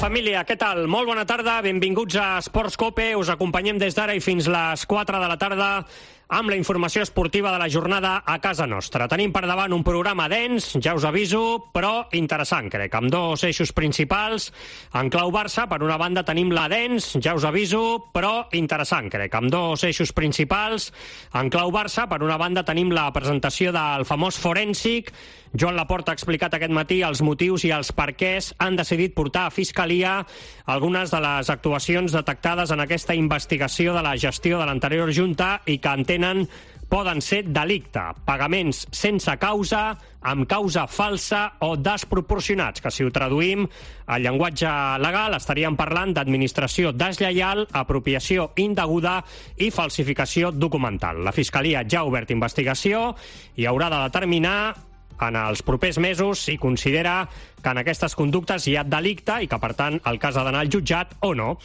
família, què tal? Molt bona tarda, benvinguts a Esports Cope. Us acompanyem des d'ara i fins les 4 de la tarda amb la informació esportiva de la jornada a casa nostra. Tenim per davant un programa dens, ja us aviso, però interessant, crec, amb dos eixos principals. En clau Barça, per una banda tenim la dens, ja us aviso, però interessant, crec, amb dos eixos principals. En clau Barça, per una banda tenim la presentació del famós forènsic. Joan Laporta ha explicat aquest matí els motius i els perquès han decidit portar a Fiscalia algunes de les actuacions detectades en aquesta investigació de la gestió de l'anterior Junta i que entenen poden ser delicte, pagaments sense causa, amb causa falsa o desproporcionats, que si ho traduïm al llenguatge legal estaríem parlant d'administració deslleial, apropiació indeguda i falsificació documental. La Fiscalia ja ha obert investigació i haurà de determinar en els propers mesos si considera que en aquestes conductes hi ha delicte i que, per tant, el cas ha d'anar al jutjat o no.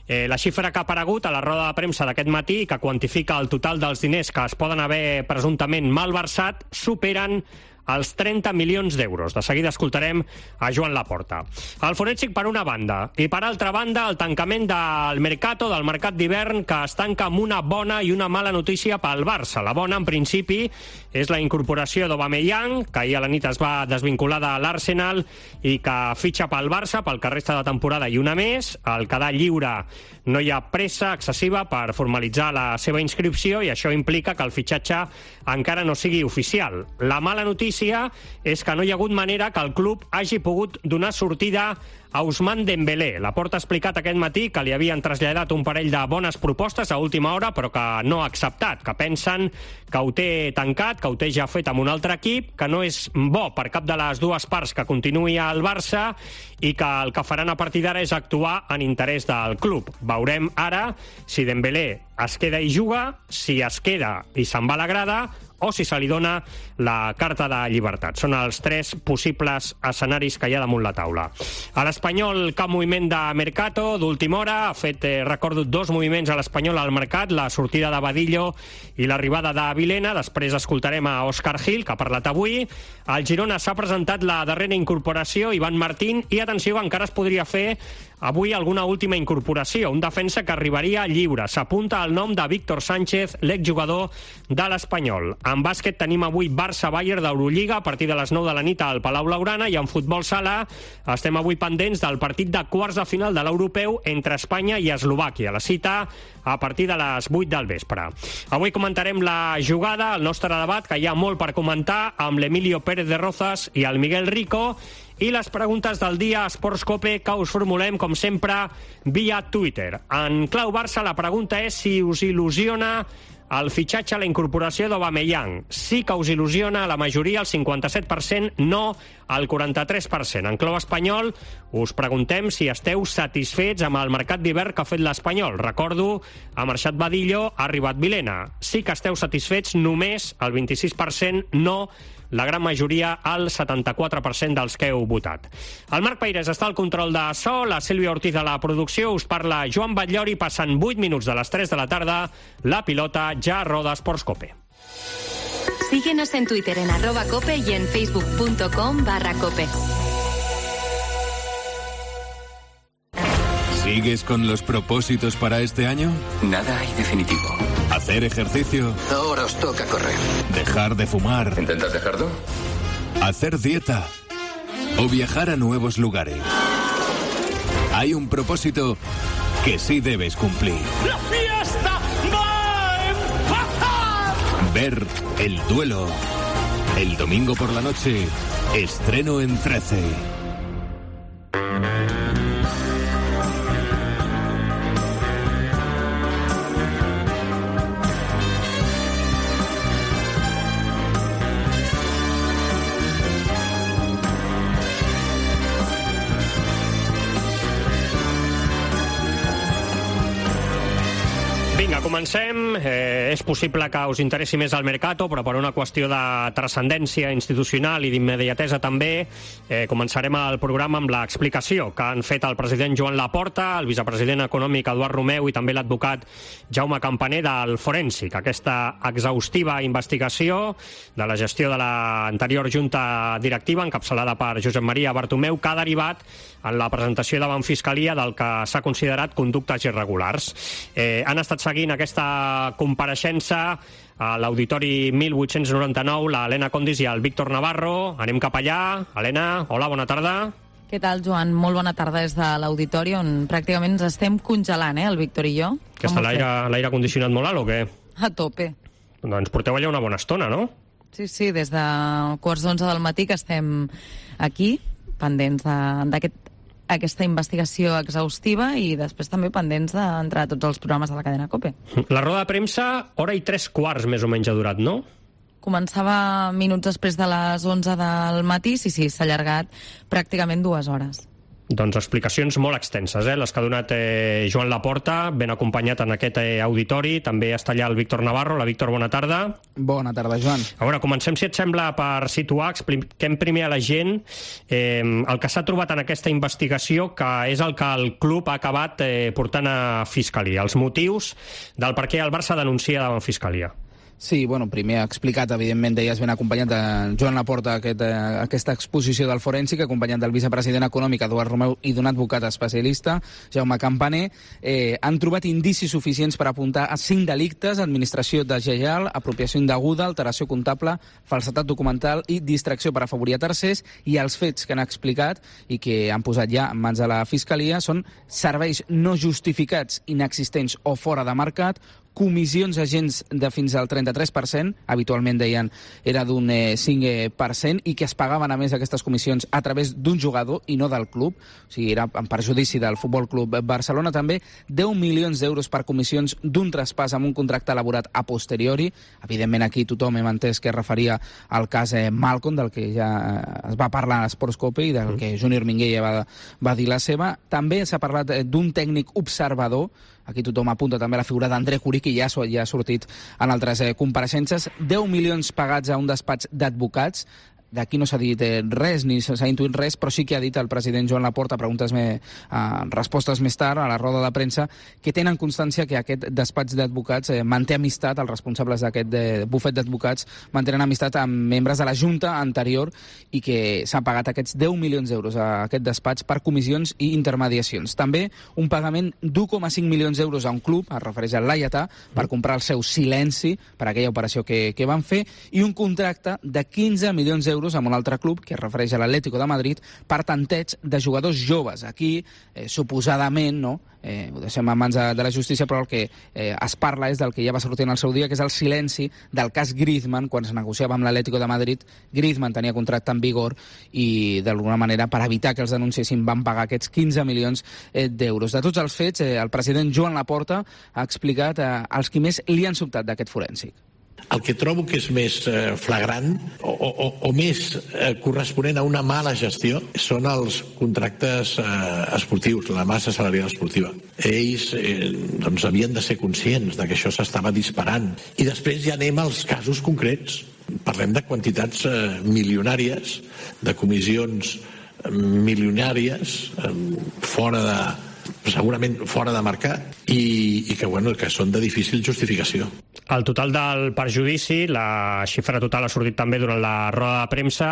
La xifra que ha aparegut a la roda de premsa d'aquest matí, que quantifica el total dels diners que es poden haver presumptament malversat, superen els 30 milions d'euros. De seguida escoltarem a Joan Laporta. El forènsic per una banda i per altra banda el tancament del mercat d'hivern, que es tanca amb una bona i una mala notícia pel Barça. La bona, en principi, és la incorporació d'Aubameyang, que ahir a la nit es va desvincular de l'Arsenal i que fitxa pel Barça pel que resta de temporada i una més. Al quedar lliure no hi ha pressa excessiva per formalitzar la seva inscripció i això implica que el fitxatge encara no sigui oficial. La mala notícia és que no hi ha hagut manera que el club hagi pogut donar sortida a Ousmane Dembélé. Laporta ha explicat aquest matí que li havien traslladat un parell de bones propostes a última hora, però que no ha acceptat, que pensen que ho té tancat, que ho té ja fet amb un altre equip, que no és bo per cap de les dues parts que continuï al Barça i que el que faran a partir d'ara és actuar en interès del club. Veurem ara si Dembélé es queda i juga, si es queda i se'n va a la grada, o si se li dona la carta de llibertat. Són els tres possibles escenaris que hi ha damunt la taula. A l'Espanyol, cap moviment de Mercato d'última hora. Ha fet, recordo, dos moviments a l'Espanyol al mercat, la sortida de Badillo i l'arribada de Vilena. Després escoltarem a Òscar Gil, que ha parlat avui. Al Girona s'ha presentat la darrera incorporació, Ivan Martín, i atenció, encara es podria fer avui alguna última incorporació, un defensa que arribaria lliure. S'apunta al nom de Víctor Sánchez, l'exjugador de l'Espanyol. En bàsquet tenim avui Barça-Bayern d'Eurolliga a partir de les 9 de la nit al Palau Blaugrana, i en futbol sala estem avui pendents del partit de quarts de final de l'Europeu entre Espanya i Eslovàquia. La cita a partir de les 8 del vespre. Avui comentarem la jugada, el nostre debat, que hi ha molt per comentar, amb l'Emilio Pérez de Rozas i el Miguel Rico, i les preguntes del dia a Esports Cope que us formulem, com sempre, via Twitter. En clau Barça, la pregunta és si us il·lusiona el fitxatge, la incorporació d'Aubameyang. Sí que us il·lusiona la majoria, el 57%, no el 43%. En clau espanyol, us preguntem si esteu satisfets amb el mercat d'hivern que ha fet l'Espanyol. Recordo, ha marxat Badillo, ha arribat Vilena. Sí que esteu satisfets, només el 26%, no la gran majoria, el 74% dels que heu votat. El Marc Peirés està al control de so, la Sílvia Ortiz a la producció, us parla Joan Batllori, passant 8 minuts de les 3 de la tarda, la pilota ja roda Esports Cope. Síguenos en Twitter en @cope y en facebook.com/cope. ¿Sigues con los propósitos para este año? Nada hay definitivo. ¿Hacer ejercicio? Ahora os toca correr. ¿Dejar de fumar? ¿Intentas dejarlo? ¿Hacer dieta? ¿O viajar a nuevos lugares? Hay un propósito que sí debes cumplir. ¡La fiesta va a empezar! Ver El Duelo. El domingo por la noche, estreno en 13. Vinga, comencem. És possible que us interessi més el Mercato, però per una qüestió de transcendència institucional i d'immediatesa també, començarem el programa amb l'explicació que han fet el president Joan Laporta, el vicepresident econòmic Eduard Romeu i també l'advocat Jaume Campaner del Forènsic. Aquesta exhaustiva investigació de la gestió de l'anterior junta directiva, encapçalada per Josep Maria Bartomeu, que ha derivat en la presentació davant Fiscalia del que s'ha considerat conductes irregulars. Han estat seguint aquesta compareixença a l'Auditori 1899, l'Helena Condis i el Víctor Navarro. Anem cap allà. Helena, hola, bona tarda. Què tal, Joan? Molt bona tarda des de l'Auditori, on pràcticament ens estem congelant, el Víctor i jo. Que està l'aire condicionat molt alt o què? A tope. Doncs porteu allà una bona estona, no? Sí, des de quarts d'11 del matí que estem aquí, pendents d'aquesta investigació exhaustiva i després també pendents d'entrar a tots els programes de la cadena COPE. La roda de premsa, hora i 3/4 més o menys ha durat, no? Començava minuts després de les 11 del matí, sí, s'ha allargat pràcticament 2 hores. Doncs explicacions molt extenses, les que ha donat Joan Laporta, ben acompanyat en aquest auditori. També està allà el Víctor Navarro. La Víctor, bona tarda. Bona tarda, Joan. A veure, comencem, si et sembla, per situar, expliquem primer a la gent el que s'ha trobat en aquesta investigació, que és el que el club ha acabat portant a Fiscalia, els motius del per què el Barça denuncia davant Fiscalia. Sí, bueno, primer ha explicat, evidentment, deies ben acompanyat de Joan Laporta aquesta exposició del Forènsic, acompanyat del vicepresident econòmic Eduard Romeu i d'un advocat especialista, Jaume Campaner. Han trobat indicis suficients per apuntar a 5 delictes: administració deslleial, apropiació indeguda, alteració comptable, falsedat documental i distracció per afavorir a tercers. I els fets que han explicat i que han posat ja en mans de la Fiscalia són serveis no justificats, inexistents o fora de mercat, comissions a agents de fins al 33%, habitualment deien era d'un 5%, i que es pagaven a més aquestes comissions a través d'un jugador i no del club, o sigui, era en perjudici del Futbol Club Barcelona. També 10 milions d'euros per comissions d'un traspàs amb un contracte elaborat a posteriori. Evidentment aquí tothom hem entès que es referia al cas Malcom, del que ja es va parlar a Sports Cope i del que Júnior Minguella va dir la seva. També s'ha parlat d'un tècnic observador. Aquí tothom apunta també la figura d'André Curí, que ja ha sortit en altres compareixences. 10 milions pagats a un despatx d'advocats. D'aquí no s'ha dit res, ni s'ha intuït res, però sí que ha dit el president Joan Laporta, respostes més tard, a la roda de premsa, que tenen constància que aquest despatx d'advocats manté amistat, els responsables d'aquest bufet d'advocats mantenen amistat amb membres de la Junta anterior i que s'han pagat aquests 10 milions d'euros a aquest despatx per comissions i intermediacions. També un pagament d'1,5 milions d'euros a un club, es refereix al Laietà, per comprar el seu silenci per aquella operació que van fer, i un contracte de 15 milions d'euros amb un altre club, que es refereix a l'Atlético de Madrid, per tanteig de jugadors joves. Aquí, suposadament, no? Ho deixem a mans de la justícia, però el que es parla és del que ja va sortir en el seu dia, que és el silenci del cas Griezmann. Quan es negociava amb l'Atlético de Madrid, Griezmann tenia contracte en vigor i, d'alguna manera, per evitar que els denunciessin, van pagar aquests 15 milions d'euros. De tots els fets, el president Joan Laporta ha explicat els qui més li han sobtat d'aquest forènsic. El que trobo que és més flagrant o més corresponent a una mala gestió són els contractes esportius, la massa salarial esportiva. Ells havien de ser conscients de que això s'estava disparant. I després ja anem als casos concrets. Parlem de quantitats milionàries, de comissions milionàries, segurament fora de mercat, i que són de difícil justificació. El total del perjudici, la xifra total ha sortit també durant la roda de premsa,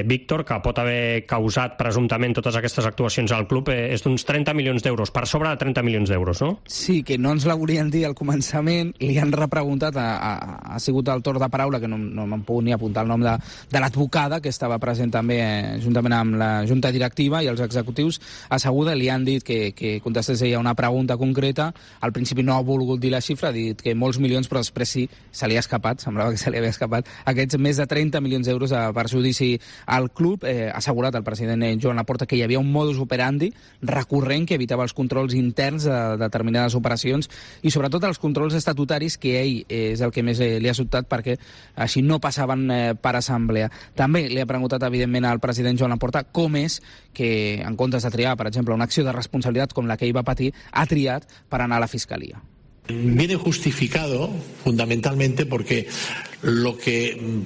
Víctor, que pot haver causat presumptament totes aquestes actuacions al club, és d'uns 30 milions d'euros, per sobre de 30 milions d'euros, no? Sí, que no ens la volien dir al començament, li han repreguntat, ha sigut el torn de paraula, que no me'n puc ni apuntar el nom de l'advocada, que estava present també juntament amb la Junta Directiva i els executius asseguda, li han dit que contestés ella una pregunta concreta. Al principi no ha volgut dir la xifra, ha dit que molts milions, però després sí, se li ha escapat, semblava que se li havia escapat, aquests més de 30 milions d'euros a perjudici al club. Ha assegurat el president Joan Laporta que hi havia un modus operandi recurrent que evitava els controls interns de determinades operacions i sobretot els controls estatutaris, que ell és el que més li ha sobtat, perquè així no passaven per assemblea. També li ha preguntat, evidentment, al president Joan Laporta com és que, en comptes de triar, per exemple, una acció de responsabilitat com la que ell va patir, ha triat per anar a la Fiscalia. Viene justificado fundamentalmente porque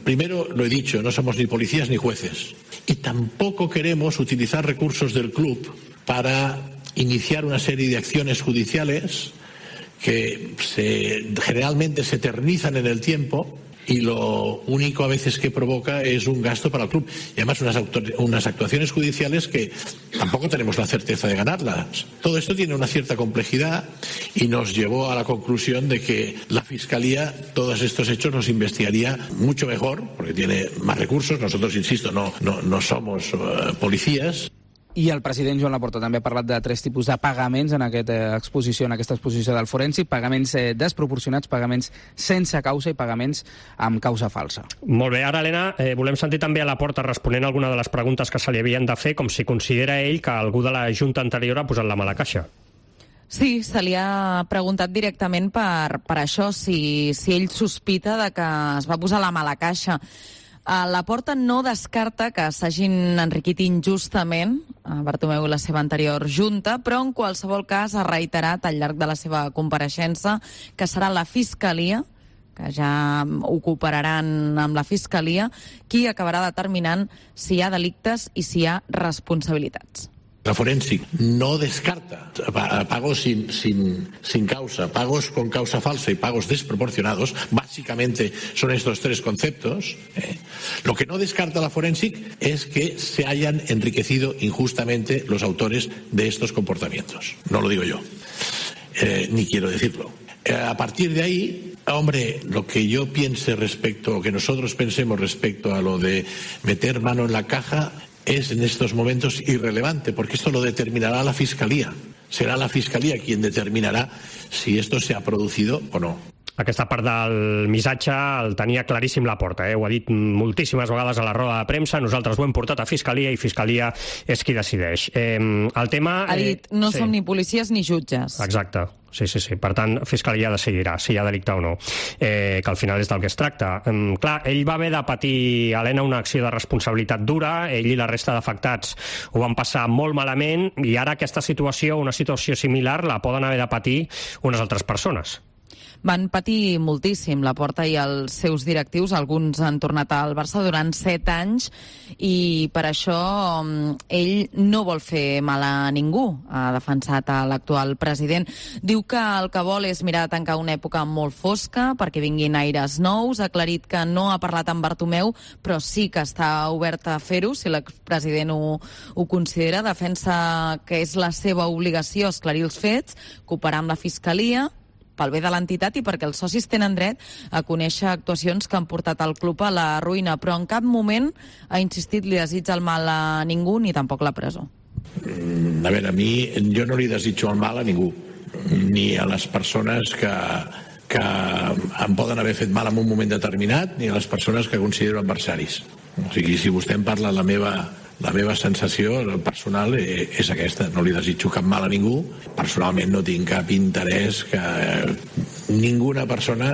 primero lo he dicho, no somos ni policías ni jueces y tampoco queremos utilizar recursos del club para iniciar una serie de acciones judiciales que generalmente se eternizan en el tiempo y lo único a veces que provoca es un gasto para el club y además unas actuaciones judiciales que tampoco tenemos la certeza de ganarlas. Todo esto tiene una cierta complejidad y nos llevó a la conclusión de que la Fiscalía todos estos hechos los investigaría mucho mejor porque tiene más recursos. Nosotros, insisto, no somos policías. I el president Joan Laporta també ha parlat de 3 tipus de pagaments en aquesta exposició del forènsic, pagaments desproporcionats, pagaments sense causa i pagaments amb causa falsa. Molt bé, ara, Helena, volem sentir també a Laporta responent a alguna de les preguntes que se li havien de fer, com si considera ell que algú de la Junta anterior ha posat la mà a la caixa. Sí, se li ha preguntat directament per això, si ell sospita de que es va posar la mà a la caixa. Laporta no descarta que s'hagin enriquit injustament Bartomeu i la seva anterior junta, però en qualsevol cas ha reiterat al llarg de la seva compareixença que serà la Fiscalia, que ja ho cooperaran amb la Fiscalia, qui acabarà determinant si hi ha delictes i si hi ha responsabilitats. La Forensic no descarta pagos sin causa, pagos con causa falsa y pagos desproporcionados. Básicamente son estos 3 conceptos. Lo que no descarta la Forensic es que se hayan enriquecido injustamente los autores de estos comportamientos. No lo digo yo, ni quiero decirlo. A partir de ahí, hombre, lo que yo piense lo que nosotros pensemos respecto a lo de meter mano en la caja es en estos momentos irrelevante, porque esto lo determinará la Fiscalía. Será la Fiscalía quien determinarà si esto se ha producido o no. Aquesta part del missatge el tenia claríssim Laporta, ho ha dit moltíssimes vegades a la roda de premsa, nosaltres ho hem portat a Fiscalia i Fiscalia és qui decideix. El tema... Ha dit, no som ni policies ni jutges. Exacte. Sí. Per tant, Fiscalia decidirà si hi ha delicte o no, que al final és del que es tracta. Clar, ell va haver de patir, Helena, una acció de responsabilitat dura, ell i la resta d'afectats ho van passar molt malament i ara aquesta situació, una situació similar, la poden haver de patir unes altres persones. Van patir moltíssim Laporta i els seus directius, alguns han tornat al Barça durant 7 anys i per això ell no vol fer mal a ningú, ha defensat a l'actual president. Diu que el que vol és mirar de tancar una època molt fosca perquè vinguin aires nous, ha aclarit que no ha parlat amb Bartomeu però sí que està obert a fer-ho si l'expresident ho considera, defensa que és la seva obligació esclarir els fets, cooperar amb la Fiscalia pel bé de l'entitat i perquè els socis tenen dret a conèixer actuacions que han portat el club a la ruïna, però en cap moment ha insistit li desitja el mal a ningú ni tampoc la presó. A veure, a mi jo no li desitjo el mal a ningú, ni a les persones que em poden haver fet mal en un moment determinat, ni a les persones que considero adversaris. O sigui, si vostè em parla la meva sensació personal és aquesta, no li desitjo cap mal a ningú, personalment no tinc cap interès que ninguna persona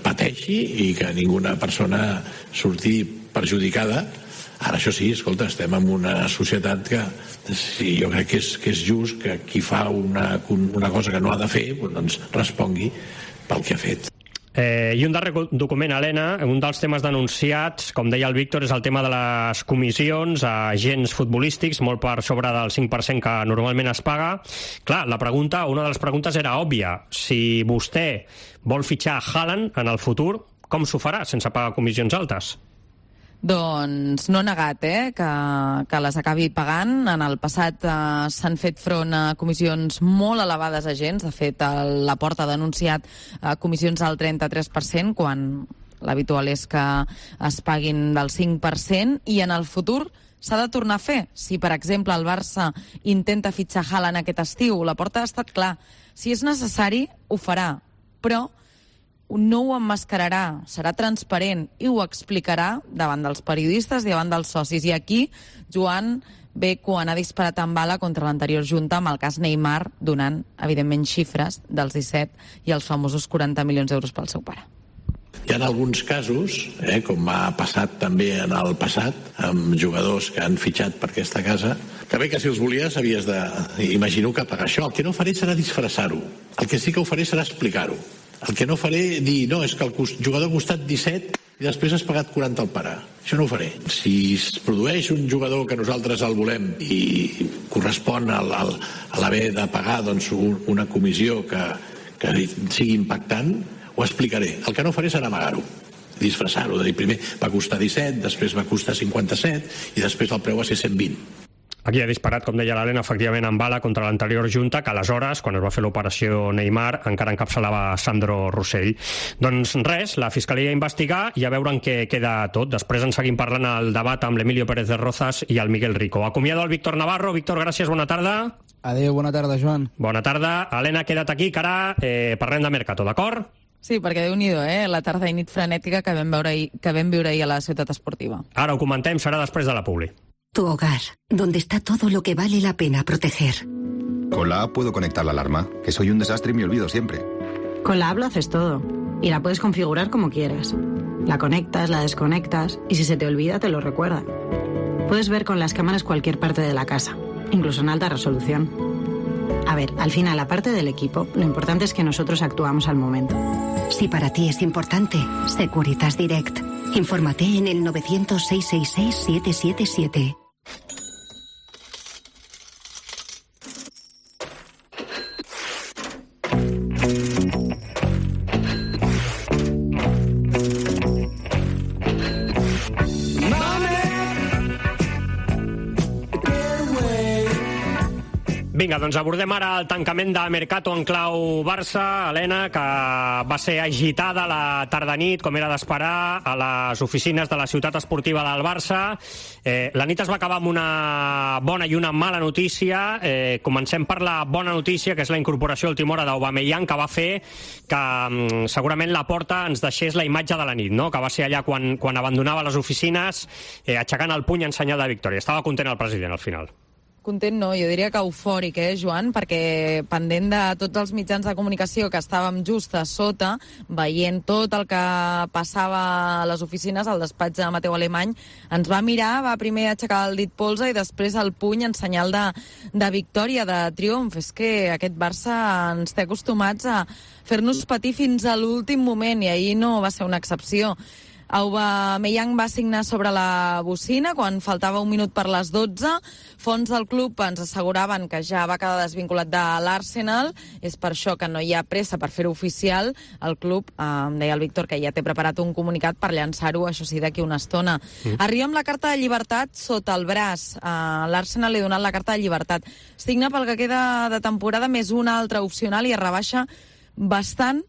pateixi i que ninguna persona surti perjudicada. Ara, això sí, escolta, estem en una societat que jo crec que és just que qui fa una cosa que no ha de fer doncs respongui pel que ha fet. I un darrer document, Helena, un dels temes denunciats, com deia el Víctor, és el tema de les comissions a agents futbolístics, molt per sobre del 5% que normalment es paga. Clar, una de les preguntes era òbvia. Si vostè vol fitxar Haaland en el futur, com s'ho farà sense pagar comissions altes? Doncs no ha negat que les acabi pagant. En el passat s'han fet front a comissions molt elevades a agents. De fet, Laporta ha denunciat comissions al 33%, quan l'habitual és que es paguin del 5%, i en el futur s'ha de tornar a fer. Si, per exemple, el Barça intenta fitxar Haaland aquest estiu, Laporta ha estat clar. Si és necessari, ho farà, però no ho emmascararà, serà transparent i ho explicarà davant dels periodistes i davant dels socis. I aquí Joan ve quan ha disparat amb bala contra l'anterior junta amb el cas Neymar, donant, evidentment, xifres dels 17 i els famosos 40 milions d'euros pel seu pare. Hi ha alguns casos, com ha passat també en el passat, amb jugadors que han fitxat per aquesta casa, Que bé que si els volies havies de... Imagino que pagar això. El que no faré serà disfressar-ho. El que sí que ho faré serà explicar-ho. El que no faré dir, no, és que el jugador ha costat 17 i després has pagat 40 al pare. Això no ho faré. Si es produeix un jugador que nosaltres el volem i correspon a l'haver de pagar doncs, una comissió que sigui impactant, ho explicaré. El que no faré serà amagar-ho, disfressar-ho, de dir primer va costar 17, després va costar 57 i després el preu va ser 120. Aquí ha disparat, com deia l'Helena, efectivament en bala contra l'anterior junta, que aleshores, quan es va fer l'operació Neymar, encara encapçalava Sandro Rossell. Doncs res, la Fiscalia investigar i a veure en què queda tot. Després en seguim parlant al debat amb l'Emilio Pérez de Rozas i el Miguel Rico. Acomiado el Víctor Navarro. Víctor, gràcies, bona tarda. Adéu, bona tarda, Joan. Bona tarda. Helena, queda't aquí, que ara parlem de Mercato, d'acord? Sí, perquè Déu-n'hi-do, la tarda i nit frenètica que vam viure ahir a la ciutat esportiva. Ara ho comentem, serà després de la publi. Tu hogar, donde está todo lo que vale la pena proteger. Con la app puedo conectar la alarma, que soy un desastre y me olvido siempre. Con la app lo haces todo, y la puedes configurar como quieras. La conectas, la desconectas, y si se te olvida te lo recuerda. Puedes ver con las cámaras cualquier parte de la casa, incluso en alta resolución. A ver, al final, aparte del equipo, lo importante es que nosotros actuamos al momento. Si para ti es importante, Securitas Direct. Infórmate en el 900-666-777. Vinga, doncs abordem ara el tancament de Mercato en clau Barça. Helena, que va ser agitada la tarda-nit, com era d'esperar, a les oficines de la ciutat esportiva del Barça. La nit es va acabar amb una bona i una mala notícia. Comencem per la bona notícia, que és la incorporació a última hora d'Aubameyang, que va fer que segurament la Porta ens deixés la imatge de la nit, no? Que va ser allà quan abandonava les oficines, aixecant el puny en senyal de victòria. Estava content el president al final. Content no, jo diria que eufòric, Joan, perquè pendent de tots els mitjans de comunicació que estàvem just a sota, veient tot el que passava a les oficines, al despatx de Mateu Alemany, ens va mirar, va primer aixecar el dit polze i després el puny en senyal de victòria, de triomf. És que aquest Barça ens té acostumats a fer-nos patir fins a l'últim moment i ahir no va ser una excepció. Aubameyang va signar sobre la bocina quan faltava un minut per les 12. Fonts del club ens asseguraven que ja va quedar desvinculat de l'Arsenal. És per això que no hi ha pressa per fer-ho oficial. El club, em deia el Víctor, que ja té preparat un comunicat per llançar-ho, això sí, d'aquí una estona. Arriba amb la carta de llibertat sota el braç. L'Arsenal li ha donat la carta de llibertat. Signa pel que queda de temporada més una altra opcional i es rebaixa bastant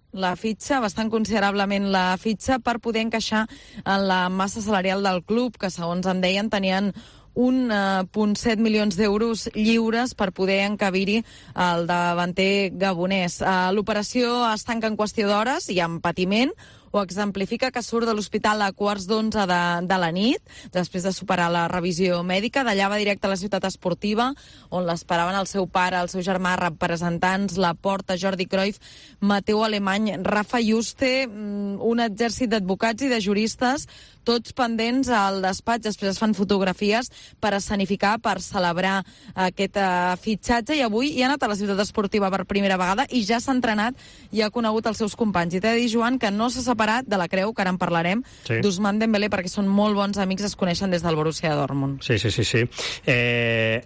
considerablement la fitxa per poder encaixar en la massa salarial del club, que segons em deien tenien 1,7 milions d'euros lliures per poder encabir-hi el davanter gabonès. L'operació es tanca en qüestió d'hores i amb patiment. Ho exemplifica que surt de l'hospital a 11:15 de la nit, després de superar la revisió mèdica. D'allà va directe a la ciutat esportiva, on l'esperaven el seu pare, el seu germà, representants, Laporta, Jordi Cruyff, Mateu Alemany, Rafa Juste, un exèrcit d'advocats i de juristes, tots pendents al despatx. Després es fan fotografies per escenificar, per celebrar aquest fitxatge, i avui hi ha anat a la ciutat esportiva per primera vegada i ja s'ha entrenat i ha conegut els seus companys. I t'he de dir, Joan, que no s'ha separat de la creu, que ara en parlarem, d'Ousmane Dembélé, perquè són molt bons amics, es coneixen des del Borussia Dortmund. Sí.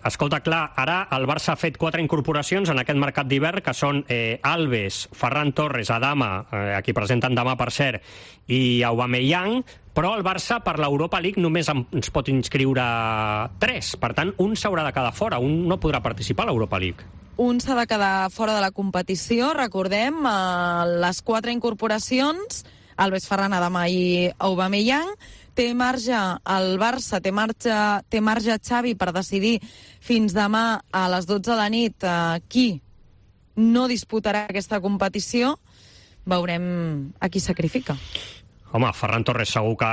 Escolta, clar, ara el Barça ha fet 4 incorporacions en aquest mercat d'hivern, que són Alves, Ferran Torres, Adama, a qui presenten demà, per cert, i Aubameyang, però el Barça per l'Europa League només ens pot inscriure 3. Per tant, un s'haurà de quedar fora, un no podrà participar a l'Europa League. Un s'ha de quedar fora de la competició. Recordem les 4 incorporacions, Alves, Ferran, Adama i Aubameyang. Té marge el Barça, té marge Xavi per decidir fins demà a les 12 de la nit qui no disputarà aquesta competició. Veurem a qui sacrifica. Home, Ferran Torres segur que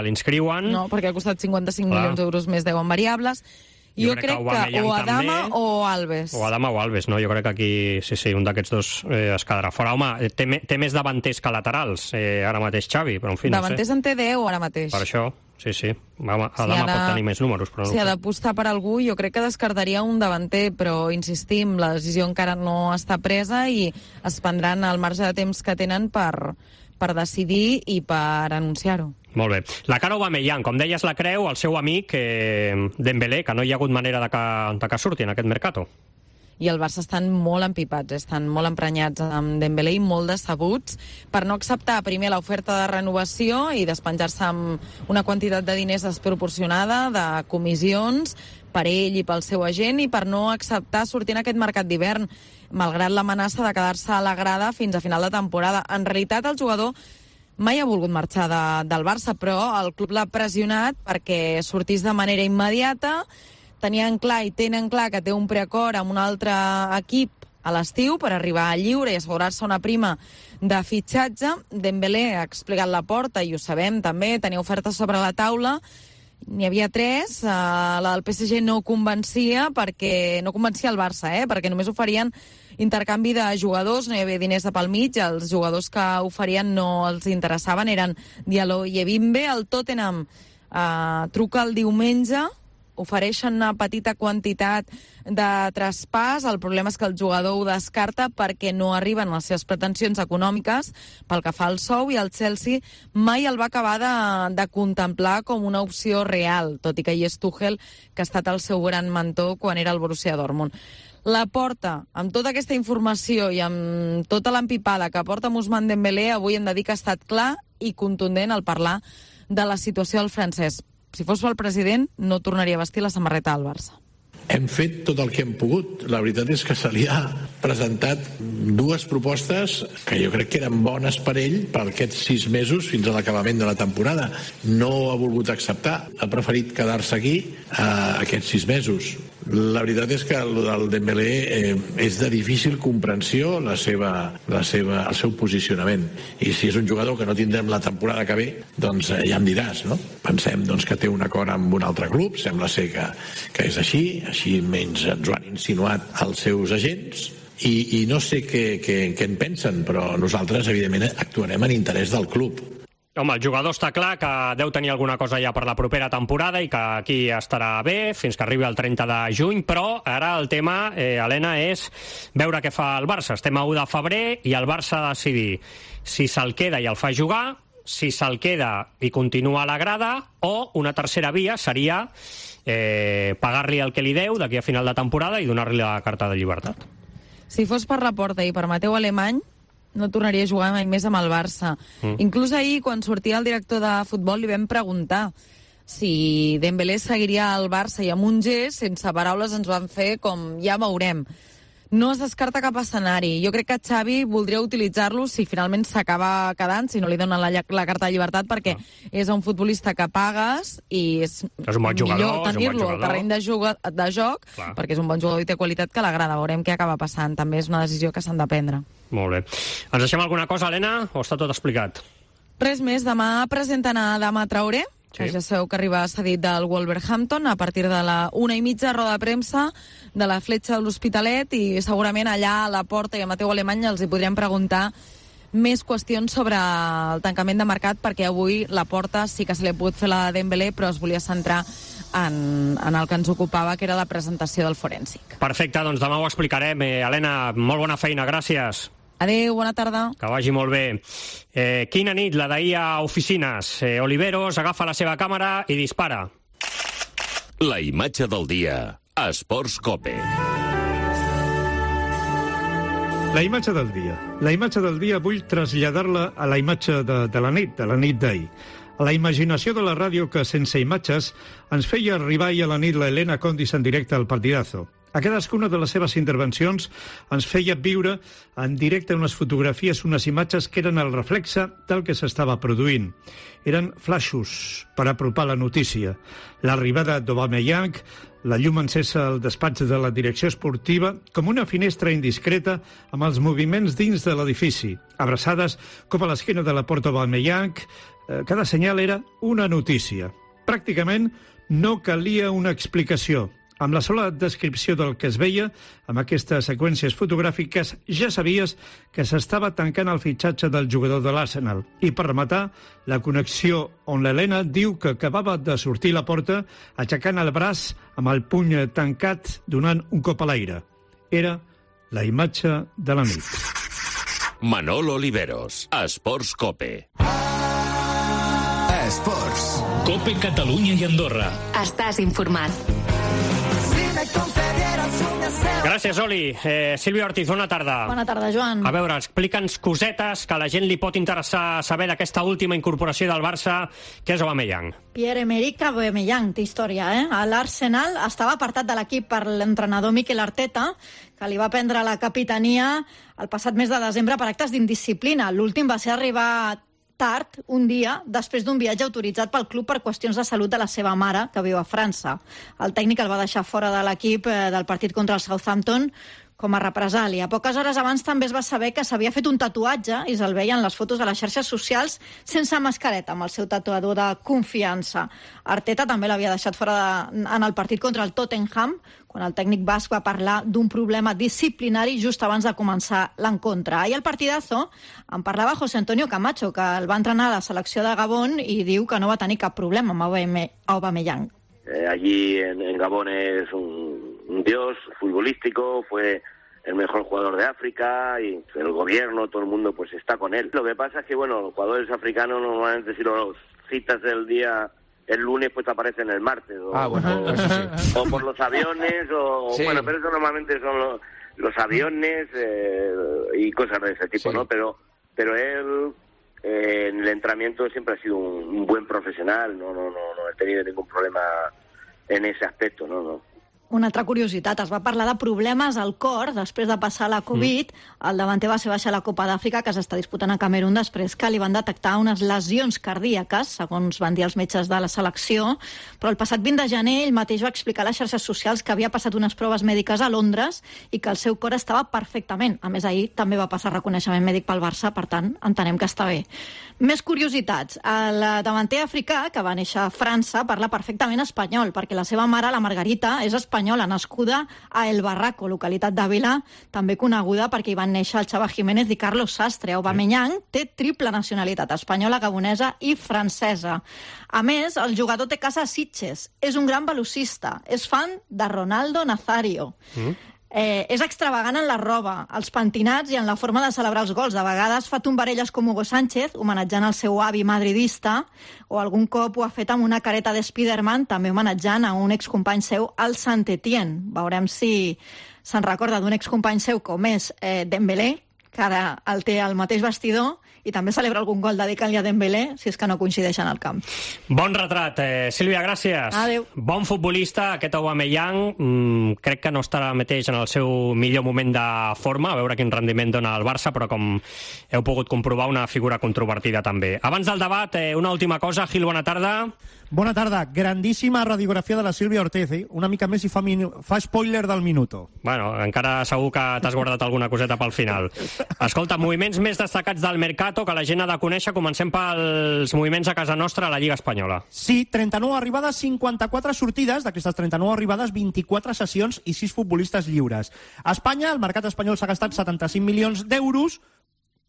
l'inscriuen. No, perquè ha costat 55 milions d'euros més, 10 en variables. Jo crec que o Adama o Alves. O Adama o Alves, no? Jo crec que aquí, sí, un d'aquests dos es quedarà fora. Home, té més davanters que laterals, ara mateix Xavi, però en fi, no sé. Davanters en té 10 ara mateix. Per això, sí. Home, Adama pot tenir més números, però no. Si ha d'apostar per algú, jo crec que descartaria un davanter, però insistim, la decisió encara no està presa i es prendran el marge de temps que tenen per decidir i per anunciar-ho. Molt bé. La cara Aubameyang, com deies, la creu el seu amic Dembélé, que no hi ha hagut manera de que surti en aquest mercato. I el Barça estan molt empipats, estan molt emprenyats amb Dembélé i molt decebuts per no acceptar primer l'oferta de renovació i despenjar-se amb una quantitat de diners desproporcionada, de comissions, per ell i pel seu agent, i per no acceptar sortir en aquest mercat d'hivern, malgrat l'amenaça de quedar-se a la grada fins a final de temporada. En realitat, el jugador mai ha volgut marxar del Barça, però el club l'ha pressionat perquè sortís de manera immediata. Tenien clar i tenen clar que té un preacord amb un altre equip a l'estiu per arribar lliure i assegurar-se una prima de fitxatge. Dembélé ha explicat la porta, i ho sabem també, tenia ofertes sobre la taula. N'hi havia 3, la del PSG no convencia el Barça, perquè només oferien intercanvi de jugadors, no hi havia diners de pel mig, els jugadors que oferien no els interessaven, eren Diallo i Ebimbe. El Tottenham truca el diumenge, ofereixen una petita quantitat de traspàs. El problema és que el jugador ho descarta perquè no arriben les seves pretensions econòmiques pel que fa al sou, i el Chelsea mai el va acabar de contemplar com una opció real, tot i que hi és Tuchel, que ha estat el seu gran mentor quan era el Borussia Dortmund. La Porta, amb tota aquesta informació i amb tota l'empipada que porta Ousmane Dembélé, avui hem de dir que ha estat clar i contundent al parlar de la situació del francès. Si fos pel president, no tornaria a vestir la samarreta del Barça. Hem fet tot el que hem pogut. La veritat és que se li ha presentat 2 propostes que jo crec que eren bones per ell per aquests 6 mesos fins a l'acabament de la temporada. No ha volgut acceptar, ha preferit quedar-se aquí aquests 6 mesos. La veritat és que el Dembélé és de difícil comprensió el seu posicionament. I si és un jugador que no tindrem la temporada que ve, doncs ja em diràs, no? Pensem que té un acord amb un altre club, sembla ser que és així menys ens ho han insinuat els seus agents, i no sé què en pensen, però nosaltres, evidentment, actuarem en interès del club. Home, el jugador està clar que deu tenir alguna cosa ja per la propera temporada i que aquí estarà bé fins que arribi el 30 de juny, però ara el tema, Helena, és veure què fa el Barça. Estem a 1 de febrer i el Barça ha de decidir si se'l queda i el fa jugar, si se'l queda i continua a la grada, o una tercera via seria pagar-li el que li deu d'aquí a final de temporada i donar-li la carta de llibertat. Si fos per la Porta i per Mateu Alemany, no tornaria a jugar mai més amb el Barça. Inclús ahir, quan sortia el director de futbol, li vam preguntar si Dembélé seguiria al Barça, i amb un gest, sense paraules, ens van fer com ja veurem. No es descarta cap escenari. Jo crec que Xavi voldria utilitzar-lo si finalment s'acaba quedant, si no li donen la carta de llibertat, perquè és un futbolista que pagues i és un bon jugador, millor tenir-lo al terreny de joc, perquè és un bon jugador i té qualitat que l'agrada. Veurem què acaba passant. També és una decisió que s'han de prendre. Molt bé. Ens deixem alguna cosa, Helena, o està tot explicat? Res més. Demà presenten a Adama Traoré, que ja sabeu que arriba cedit del Wolverhampton a partir de la 1:30, roda de premsa de la Fletxa de l'Hospitalet, i segurament allà a la Porta i a Mateu Alemany els hi podrem preguntar més qüestions sobre el tancament de mercat, perquè avui la Porta sí que se li ha pogut fer la de Dembélé, però es volia centrar en el que ens ocupava, que era la presentació del forènsic. Perfecte, doncs demà ho explicarem. Helena, molt bona feina, gràcies. Adéu, bona tarda. Que vagi molt bé. Quina nit, la d'ahir a oficines. Oliveros agafa la seva càmera i dispara. La imatge del dia a Esports Cope. La imatge del dia. La imatge del dia vull traslladar-la a la imatge de la nit d'ahir. A la imaginació de la ràdio que, sense imatges, ens feia arribar ahir a la nit la Helena Condis en directe al Partidazo. A cadascuna de les seves intervencions ens feia viure en directe unes fotografies, unes imatges que eren el reflexe del que s'estava produint. Eren flaixos per apropar la notícia. L'arribada d'Aubameyang, la llum encesa al despatx de la direcció esportiva, com una finestra indiscreta amb els moviments dins de l'edifici. Abraçades com a l'esquena de la porta Aubameyang, cada senyal era una notícia. Pràcticament no calia una explicació. Amb la sola descripció del que es veia, amb aquestes seqüències fotogràfiques, ja sabies que s'estava tancant el fitxatge del jugador de l'Arsenal. I per rematar, la connexió on l'Helena diu que acabava de sortir a la porta aixecant el braç amb el puny tancat donant un cop a l'aire. Era la imatge de la nit. Manolo Oliveros, Esports Cope. Esports. Cope Catalunya i Andorra. Estàs informat. Gràcies, Oli. Sílvia Ortiz, bona tarda. Bona tarda, Joan. A veure, explica'ns cosetes que a la gent li pot interessar saber d'aquesta última incorporació del Barça, que és Aubameyang. Pierre-Emerick Aubameyang, té història, eh? A l'Arsenal estava apartat de l'equip per l'entrenador Mikel Arteta, que li va prendre la capitania el passat mes de desembre per actes d'indisciplina. L'últim va ser arribar tard, un dia, després d'un viatge autoritzat pel club per qüestions de salut de la seva mare, que viu a França. El tècnic el va deixar fora de l'equip del partit contra el Southampton com a represàlia. Poques hores abans també es va saber que s'havia fet un tatuatge i se'l veien les fotos de les xarxes socials sense mascareta, amb el seu tatuador de confiança. Arteta també l'havia deixat fora en el partit contra el Tottenham, quan el tècnic basc va parlar d'un problema disciplinari just abans de començar l'encontre. Ahir al partidazo en parlava José Antonio Camacho, que el va entrenar a la selecció de Gabón i diu que no va tenir cap problema amb Aubameyang. Allí en Gabón es un dios futbolístico, fue el mejor jugador de África y el gobierno, todo el mundo pues está con él. Lo que pasa es que, bueno, los jugadores africanos normalmente si los citas el día... el lunes pues aparecen el martes o por los aviones sí. Bueno, pero eso normalmente son los aviones y cosas de ese tipo, sí. ¿No? Pero él en el entrenamiento siempre ha sido un buen profesional, no he tenido ningún problema en ese aspecto, no. Una altra curiositat, es va parlar de problemes al cor després de passar la Covid. El davanter va ser baixar a la Copa d'Àfrica, que s'està disputant a Camerún, després que li van detectar unes lesions cardíaques, segons van dir els metges de la selecció. Però el passat 20 de gener ell mateix va explicar a les xarxes socials que havia passat unes proves mèdiques a Londres i que el seu cor estava perfectament. A més, ahir també va passar reconeixement mèdic pel Barça, per tant, entenem que està bé. Més curiositats. El davanter africà, que va néixer a França, parla perfectament espanyol, perquè la seva mare, la Margarita, és espanyola, nascuda a El Barraco, localitat d'Àvila, també coneguda perquè hi van néixer el Chava Jiménez i Carlos Sastre. Aubameyang té triple nacionalitat, espanyola, gabonesa i francesa. A més, el jugador té casa a Sitges, és un gran velocista, és fan de Ronaldo Nazario. És extravagant en la roba, els pentinats i en la forma de celebrar els gols. De vegades fa tombarelles com Hugo Sánchez, homenatjant el seu avi madridista, o algun cop ho ha fet amb una careta de Spiderman, també homenatjant a un excompany seu, el Saint-Étienne. Veurem si se'n recorda d'un excompany seu com és Dembélé, que ara el té al mateix vestidor, i també celebra algun gol dedicant-li a Dembélé, si és que no coincideixen al camp. Bon retrat. Sílvia, gràcies. Adéu. Bon futbolista, aquest Aubameyang. Crec que no estarà mateix en el seu millor moment de forma, a veure quin rendiment dona el Barça, però com heu pogut comprovar, una figura controvertida també. Abans del debat, una última cosa. Gil, bona tarda. Bona tarda. Grandíssima radiografia de la Sílvia Ortiz. Una mica més i fa spoiler del minuto. Bueno, encara segur que t'has guardat alguna coseta pel final. Escolta, moviments més destacats del Mercato que la gent ha de conèixer. Comencem pels moviments a casa nostra a la Lliga Espanyola. Sí, 39 arribades, 54 sortides. D'aquestes 39 arribades, 24 sessions i 6 futbolistes lliures. A Espanya, el mercat espanyol s'ha gastat 75 milions d'euros,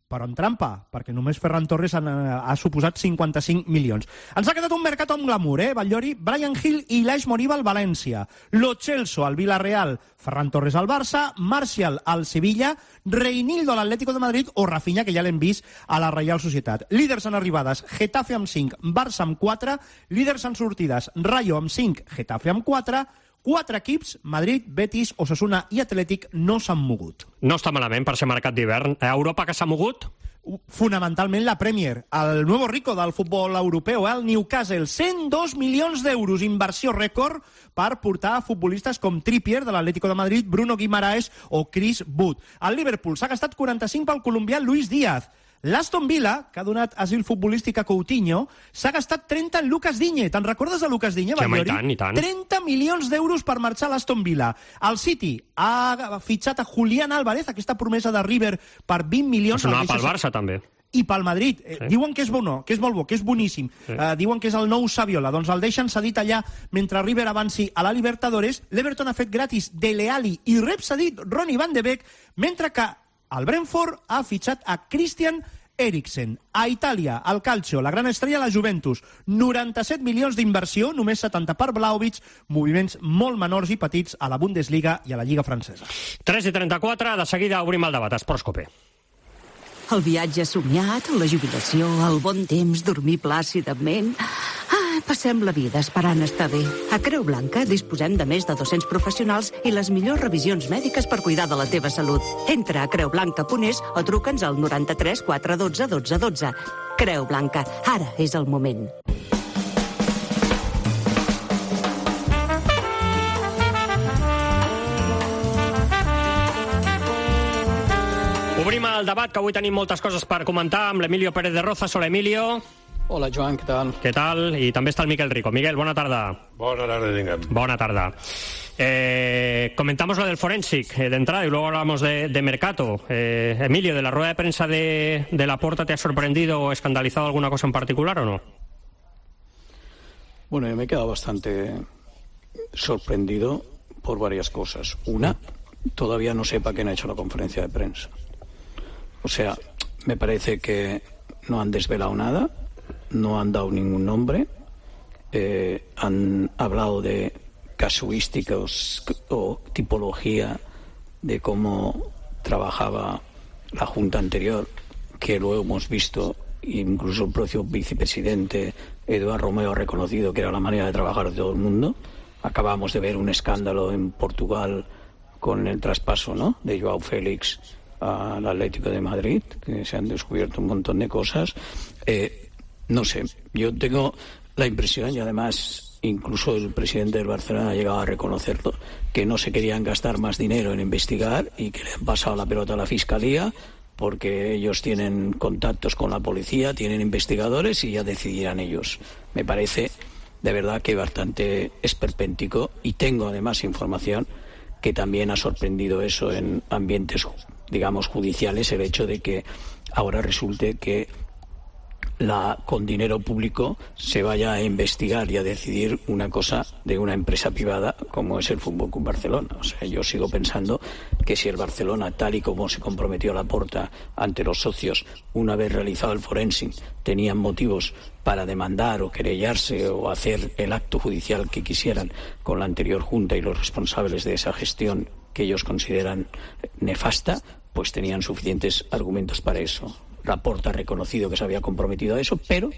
però en trampa, perquè només Ferran Torres ha suposat 55 milions. Ens ha quedat un mercat amb glamour, Batllori, Brian Hill i Ilaix Moriba al València, Lo Celso al Villarreal, Ferran Torres al Barça, Martial al Sevilla, Reinildo a l'Atlético de Madrid o Rafinha, que ja l'hem vist a la Reial Societat. Líders en arribades, Getafe amb 5, Barça amb 4, líders en sortides, Rayo amb 5, Getafe amb 4, 4 equips, Madrid, Betis, Osasuna i Atlètic, no s'han mogut. No està malament per ser mercat d'hivern. A Europa que s'ha mogut? Fonamentalment la Premier, el nuevo rico del futbol europeu, el Newcastle, 102 milions d'euros, inversió rècord per portar futbolistes com Trippier de l'Atlético de Madrid, Bruno Guimaraes o Chris Wood. El Liverpool s'ha gastat 45 pel colombià Luis Díaz. L'Aston Villa, que ha donat asil futbolístic a Coutinho, s'ha gastat 30 en Lucas Digne. Te'n recordes de Lucas Digne, Batllori? Sí, i tant. 30 milions d'euros per marxar a l'Aston Villa. El City ha fitxat a Julián Álvarez, aquesta promesa de River, per 20 milions. Sonava pel Barça, també. i pel Madrid. Diuen que és bo, que és molt bo, que és boníssim. Diuen que és el nou Saviola. Doncs el deixen cedit allà mentre River avanci a la Libertadores. L'Everton ha fet gratis Dele Alli i rep cedit Ronnie van de Beek, mentre que el Brentford ha fitxat a Christian Eriksen. A Itàlia, al Calcio, la gran estrella, la Juventus. 97 milions d'inversió, només 70 per Vlahovic, moviments molt menors i petits a la Bundesliga i a la Lliga francesa. 3:34, de seguida obrim el debat. Esports Cope. El viatge somiat, la jubilació, el bon temps, dormir plàcidament... Passem la vida esperant estar bé. A Creu Blanca disposem de més de 200 professionals i les millors revisions mèdiques per cuidar de la teva salut. Entra a creublanca.es o truca'ns al 93 412 12 12. Creu Blanca, ara és el moment. Obrim el debat, que avui tenim moltes coses per comentar amb l'Emilio Pérez de Rozas. Hola, Emilio. Hola, Joan, què tal? Què tal? I també està el Miquel Rico. Miguel, bona tarda. Bona tarda, diguem. Bona tarda. Comentamos lo del Forensic de entrada y luego hablamos de Mercato. Emilio, ¿de la rueda de prensa de Laporta te ha sorprendido o escandalizado alguna cosa en particular o no? Bueno, yo me he quedado bastante sorprendido por varias cosas. Una, todavía no sé para qué han hecho la conferencia de prensa. O sea, me parece que no han desvelado nada, no han dado ningún nombre, han hablado de casuísticos o tipología de cómo trabajaba la Junta anterior, que luego hemos visto, incluso el propio vicepresidente Eduardo Romeo ha reconocido que era la manera de trabajar de todo el mundo. Acabamos de ver un escándalo en Portugal con el traspaso, ¿no?, de Joao Félix al Atlético de Madrid, que se han descubierto un montón de cosas. No sé, yo tengo la impresión, y además incluso el presidente del Barcelona ha llegado a reconocerlo, que no se querían gastar más dinero en investigar y que le han pasado la pelota a la Fiscalía porque ellos tienen contactos con la policía, tienen investigadores y ya decidirán ellos. Me parece de verdad que bastante esperpéntico, y tengo además información que también ha sorprendido eso en ambientes, digamos, judiciales, el hecho de que ahora resulte que con dinero público se vaya a investigar y a decidir una cosa de una empresa privada como es el Fútbol Club Barcelona. O sea, yo sigo pensando que si el Barcelona, tal y como se comprometió Laporta ante los socios una vez realizado el forensic, tenían motivos para demandar o querellarse o hacer el acto judicial que quisieran con la anterior Junta y los responsables de esa gestión que ellos consideran nefasta, pues tenían suficientes argumentos para eso. Laporta ha reconocido que se había comprometido a eso, pero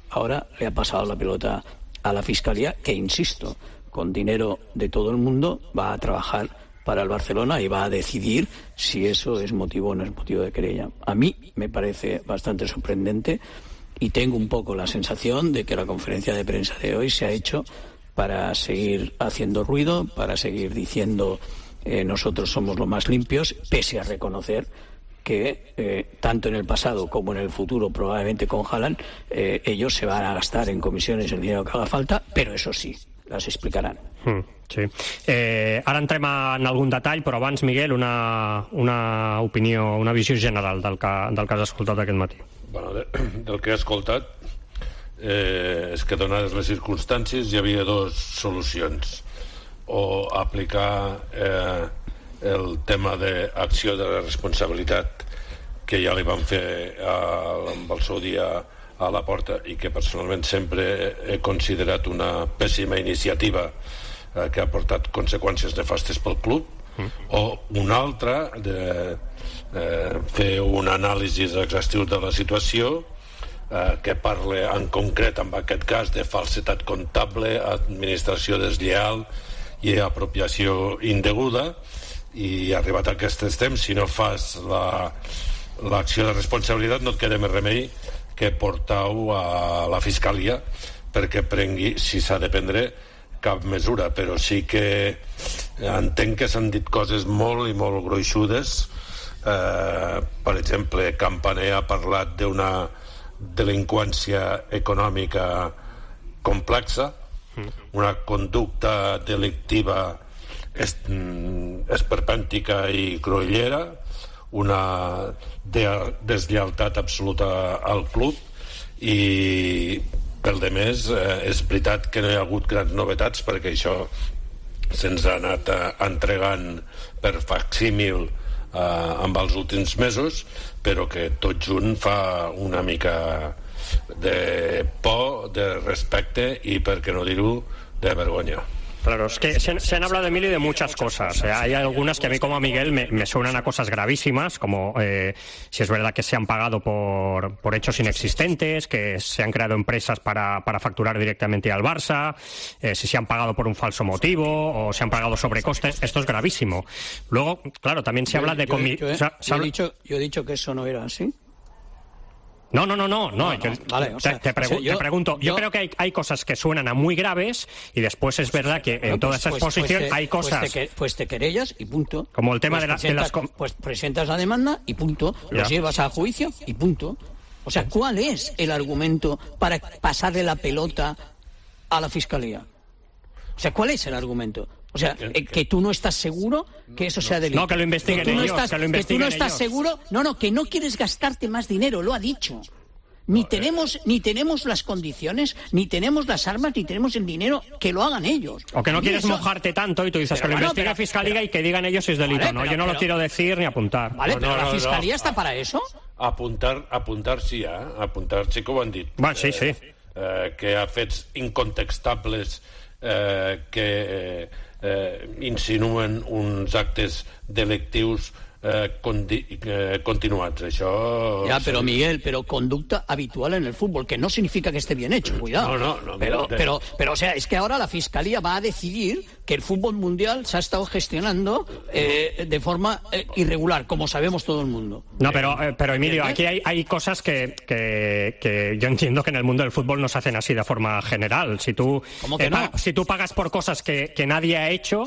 ahora le ha pasado la pelota a la Fiscalía, que, insisto, con dinero de todo el mundo va a trabajar para el Barcelona y va a decidir si eso es motivo o no es motivo de querella. A mí me parece bastante sorprendente y tengo un poco la sensación de que la conferencia de prensa de hoy se ha hecho para seguir haciendo ruido, para seguir diciendo nosotros somos los más limpios, pese a reconocer que tanto en el pasado como en el futuro, probablemente con Haaland, ellos se van a gastar en comisiones el dinero que haga falta, pero eso sí, las explicarán. Sí. Ara entrem en algun detall, però abans, Miguel, una opinió, una visió general del que has escoltat aquest matí. Bueno, del que he escoltat és que, donades les circumstàncies, hi havia dues solucions: o aplicar el tema d'acció de la responsabilitat que ja li van fer amb el seu dia a Laporta i que personalment sempre he considerat una pèssima iniciativa que ha portat conseqüències nefastes pel club, o una altra de fer un anàlisi exhaustiu de la situació que parla en concret, en aquest cas, de falsedat comptable, administració deslleial i apropiació indeguda. I arribat a aquests temps, si no fas l'acció de responsabilitat, no et queda més remei que portar-ho a la Fiscalia perquè prengui, si s'ha de prendre, cap mesura. Però sí que entenc que s'han dit coses molt i molt gruixudes. Per exemple, Campaner ha parlat d'una delinqüència econòmica complexa, una conducta delictiva esperpèntica i cruïllera, una deslleialtat absoluta al club, i pel de més és veritat que no hi ha hagut grans novetats, perquè això se'ns ha anat entregant per facsímil amb els últims mesos, però que tot junt fa una mica de por, de respecte y, por qué no dir-ho, de vergonya. Claro, es que se han hablado, Emilio, de muchas cosas. Hay algunas que a mí, como a Miguel, me suenan a cosas gravísimas, como si es verdad que se han pagado por hechos inexistentes, que se han creado empresas para facturar directamente al Barça, si se han pagado por un falso motivo o se han pagado sobrecostes. Esto es gravísimo. Luego, claro, también se habla de... Yo he dicho que eso no era así. No. Vale, te pregunto. Yo creo que hay cosas que suenan a muy graves y después es verdad que en toda esa exposición hay cosas... Pues te querellas y punto. Como el tema de las... Pues presentas la demanda y punto. Los llevas a juicio y punto. O sea, ¿cuál es el argumento para pasarle la pelota a la Fiscalía? O sea, ¿cuál es el argumento? O sea, que tú no estás seguro que eso sea delito. No, que lo investiguen ellos, que tú no estás seguro... No, que no quieres gastarte más dinero, lo ha dicho. Ni tenemos las condiciones, ni tenemos las armas, ni tenemos el dinero, que lo hagan ellos. O que no quieres mojarte tanto y tú dices que lo investigue la Fiscalía y que digan ellos si es delito. Yo no lo quiero decir ni apuntar. Vale, pero la Fiscalía está para eso. Apuntar sí, apuntar sí que ho han dit. Bueno, sí. Que ha fets incontextables que insinuen uns actes delictius continuats. Això... Ya, pero Miguel, conducta habitual en el fútbol, que no significa que esté bien hecho, cuidado. No, pero, o sea, es que ahora la Fiscalía va a decidir que el fútbol mundial se ha estado gestionando de forma irregular, como sabemos todo el mundo. No, pero Emilio, aquí hay cosas que yo entiendo que en el mundo del fútbol no se hacen así de forma general. Si tú, ¿Cómo que no? Si tú pagas por cosas que nadie ha hecho...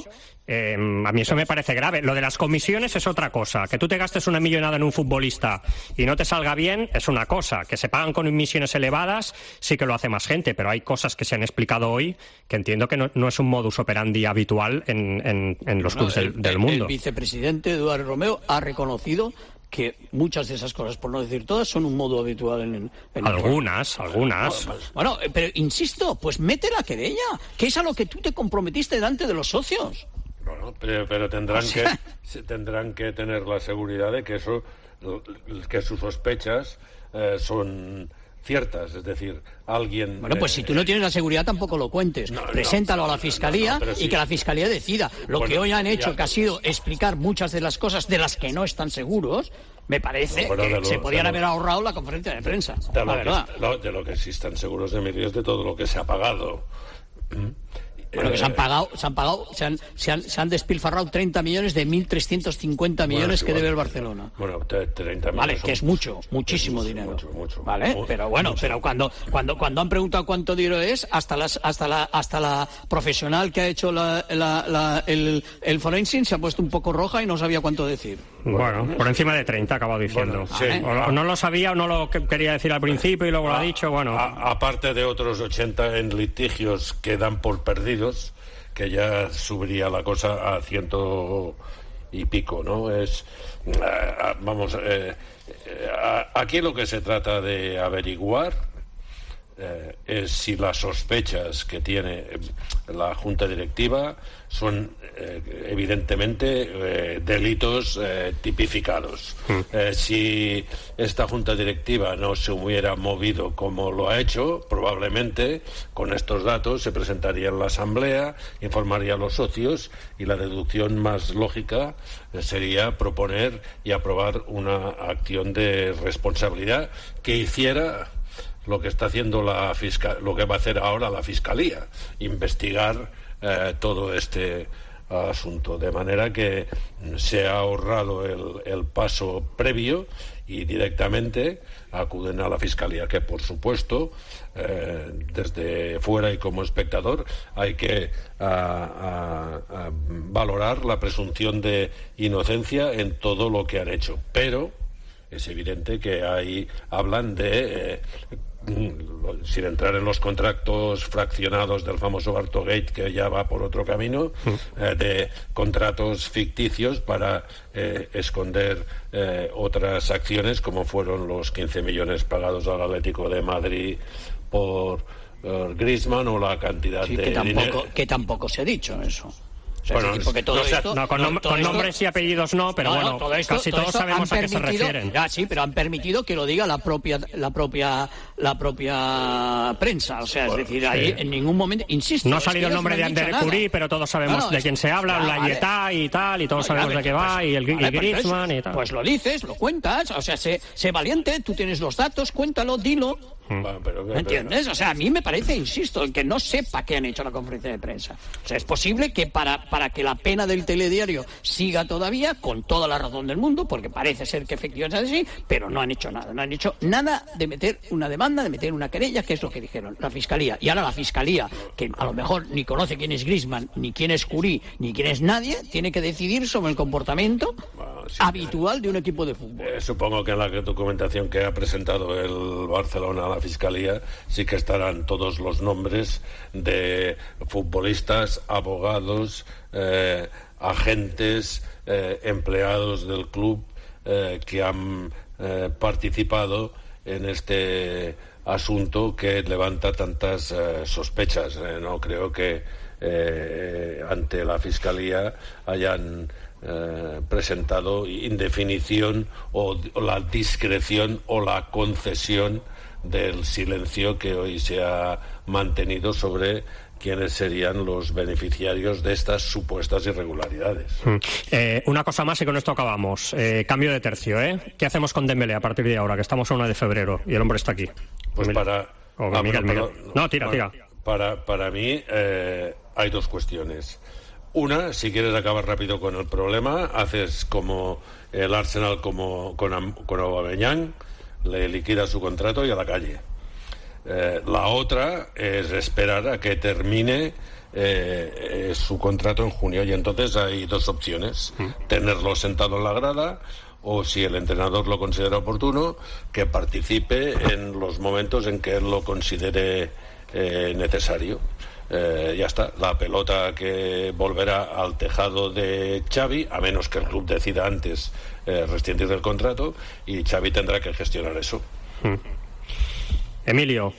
a mí eso me parece grave. Lo de las comisiones es otra cosa. Que tú te gastes una millonada en un futbolista y no te salga bien es una cosa. Que se pagan con comisiones elevadas sí que lo hace más gente, pero hay cosas que se han explicado hoy que entiendo que no es un modus operandi habitual en los clubes del mundo. El vicepresidente Eduardo Romeo ha reconocido que muchas de esas cosas, por no decir todas, son un modo habitual en algunas. Bueno, pero insisto, pues mete la querella, que es a lo que tú te comprometiste delante de los socios. Bueno, pero tendrán que tener la seguridad de que que sus sospechas son ciertas, es decir, alguien... Bueno, pues si tú no tienes la seguridad tampoco lo cuentes. Preséntalo a la Fiscalía y que la Fiscalía decida. Lo que hoy han hecho, que ha sido explicar muchas de las cosas de las que no están seguros, me parece que se podían haber ahorrado la conferencia de prensa. La verdad. De lo que sí están seguros, Emilio, es de todo lo que se ha pagado. Bueno, que se han despilfarrado 30 millones de 1.350 millones que debe el Barcelona. Bueno, 30 millones. Vale, que es muchísimo dinero. Mucho. Vale, pero bueno, pero cuando han preguntado cuánto dinero es, hasta la profesional que ha hecho el forensic se ha puesto un poco roja y no sabía cuánto decir. Bueno, por encima de 30 ha acabado diciendo. Bueno, sí. O no lo sabía o no lo quería decir al principio y luego lo ha dicho, bueno. Aparte de otros 80 en litigios que dan por perdidos, que ya subiría la cosa a 100 y pico, ¿no? Aquí lo que se trata de averiguar es si las sospechas que tiene la Junta Directiva son evidentemente delitos tipificados. Si esta Junta Directiva no se hubiera movido como lo ha hecho, probablemente con estos datos se presentaría en la Asamblea, informaría a los socios y la deducción más lógica sería proponer y aprobar una acción de responsabilidad que hiciera lo que está haciendo lo que va a hacer ahora la Fiscalía, investigar todo este asunto, de manera que se ha ahorrado el paso previo y directamente acuden a la Fiscalía, que por supuesto desde fuera y como espectador hay que valorar la presunción de inocencia en todo lo que han hecho, pero es evidente que ahí hablan de sin entrar en los contratos fraccionados del famoso Bartogate, que ya va por otro camino, de contratos ficticios para esconder otras acciones, como fueron los 15 millones pagados al Atlético de Madrid por Griezmann, o la cantidad de dinero que tampoco se ha dicho eso. O sea, Bueno, porque todo esto, con nombres y apellidos no, pero bueno, casi todos sabemos a qué se refieren. Ya, sí, pero han permitido que lo diga la propia prensa. O sea, es decir, ahí en ningún momento, insisto. No ha salido el nombre de Ander Curí, pero todos sabemos de quién se habla, la Yetá y tal, y todos sabemos de qué va, y el Griezmann y tal. Pues lo dices, lo cuentas, o sea, sé valiente, tú tienes los datos, cuéntalo, dilo. ¿Entiendes? O sea, a mí me parece, insisto, el que no sepa qué han hecho la conferencia de prensa. O sea, es posible que para que la pena del telediario siga todavía, con toda la razón del mundo, porque parece ser que efectivamente es así, pero no han hecho nada. No han hecho nada de meter una demanda, de meter una querella, que es lo que dijeron la Fiscalía. Y ahora la Fiscalía, que a lo mejor ni conoce quién es Griezmann, ni quién es Curí, ni quién es nadie, tiene que decidir sobre el comportamiento habitual de un equipo de fútbol. Supongo que en la documentación que ha presentado el Barcelona a la Fiscalía sí que estarán todos los nombres de futbolistas, abogados, agentes, empleados del club que han participado en este asunto que levanta tantas sospechas. No creo que ante la Fiscalía hayan presentado indefinición o la discreción o la concesión del silencio que hoy se ha mantenido sobre quiénes serían los beneficiarios de estas supuestas irregularidades. Una cosa más y con esto acabamos. Cambio de tercio, ¿Qué hacemos con Dembélé a partir de ahora, que estamos a 1 de febrero y el hombre está aquí? Pues Miguel. No, tira. Para mí hay dos cuestiones. Una, si quieres acabar rápido con el problema, haces como el Arsenal con Aubameyang, le liquida su contrato y a la calle. La otra es esperar a que termine su contrato en junio, y entonces hay dos opciones: tenerlo sentado en la grada, o, si el entrenador lo considera oportuno, que participe en los momentos en que él lo considere necesario. Ya está, la pelota que volverá al tejado de Xavi, a menos que el club decida antes rescindir del contrato, y Xavi tendrá que gestionar eso. Emilio,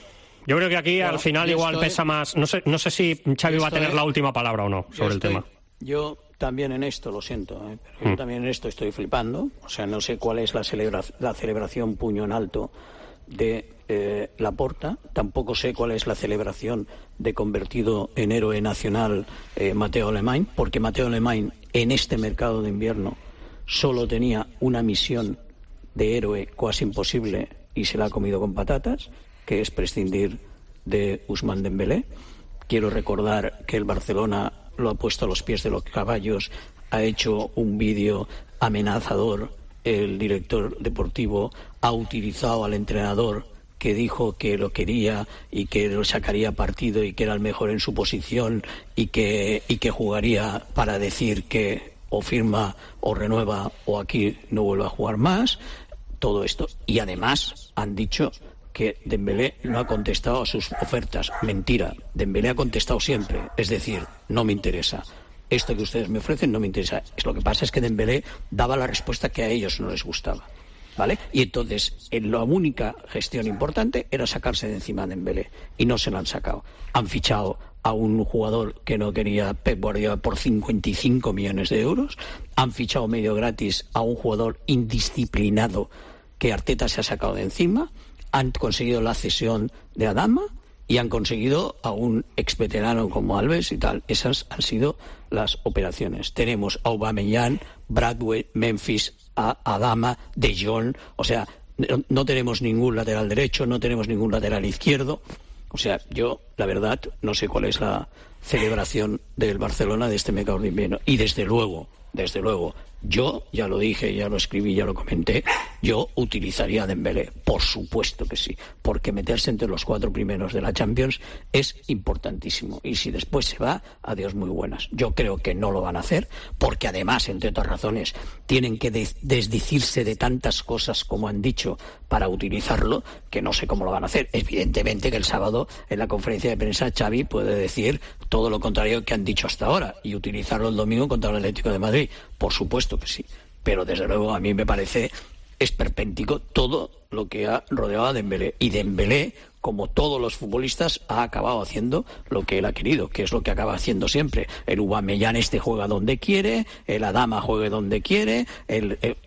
yo creo que aquí al final igual pesa más. No sé si Xavi va a tener la última palabra o no sobre el tema. Yo también en esto, lo siento, pero yo también en esto estoy flipando. O sea, no sé cuál es la celebración puño en alto de Laporta. Tampoco sé cuál es la celebración de convertido en héroe nacional Mateo Alemany, porque Mateo Alemany en este mercado de invierno solo tenía una misión de héroe casi imposible y se la ha comido con patatas, que es prescindir de Ousmane Dembélé. Quiero recordar que el Barcelona lo ha puesto a los pies de los caballos, ha hecho un vídeo amenazador, el director deportivo ha utilizado al entrenador que dijo que lo quería y que lo sacaría partido y que era el mejor en su posición y que jugaría para decir que o firma o renueva o aquí no vuelve a jugar más. Todo esto. Y además han dicho que Dembélé no ha contestado a sus ofertas. Mentira. Dembélé ha contestado siempre. Es decir, no me interesa. Esto que ustedes me ofrecen no me interesa. Lo que pasa es que Dembélé daba la respuesta que a ellos no les gustaba. ¿Vale? Y entonces, la única gestión importante era sacarse de encima a Dembélé. Y no se lo han sacado. Han fichado a un jugador que no quería Pep Guardiola por 55 millones de euros. Han fichado medio gratis a un jugador indisciplinado que Arteta se ha sacado de encima. Han conseguido la cesión de Adama y han conseguido a un exveterano como Alves y tal. Esas han sido las operaciones. Tenemos a Aubameyang, Bradway, Memphis, a Adama, De Jong. O sea, no tenemos ningún lateral derecho, no tenemos ningún lateral izquierdo. O sea, yo, la verdad, no sé cuál es la celebración del Barcelona de este mercado de invierno. Y desde luego, desde luego, yo, ya lo dije, ya lo escribí, ya lo comenté, yo utilizaría a Dembélé, por supuesto que sí, porque meterse entre los 4 primeros de la Champions es importantísimo, y si después se va, adiós muy buenas. Yo creo que no lo van a hacer, porque además, entre otras razones, tienen que desdecirse de tantas cosas como han dicho para utilizarlo, que no sé cómo lo van a hacer. Evidentemente que el sábado, en la conferencia de prensa, Xavi puede decir todo lo contrario que han dicho hasta ahora, y utilizarlo el domingo contra el Atlético de Madrid, por supuesto que sí, pero desde luego a mí me parece esperpéntico todo lo que ha rodeado a Dembélé, y Dembélé, como todos los futbolistas, ha acabado haciendo lo que él ha querido, que es lo que acaba haciendo siempre. El Aubameyang juega donde quiere, el Adama juegue donde quiere,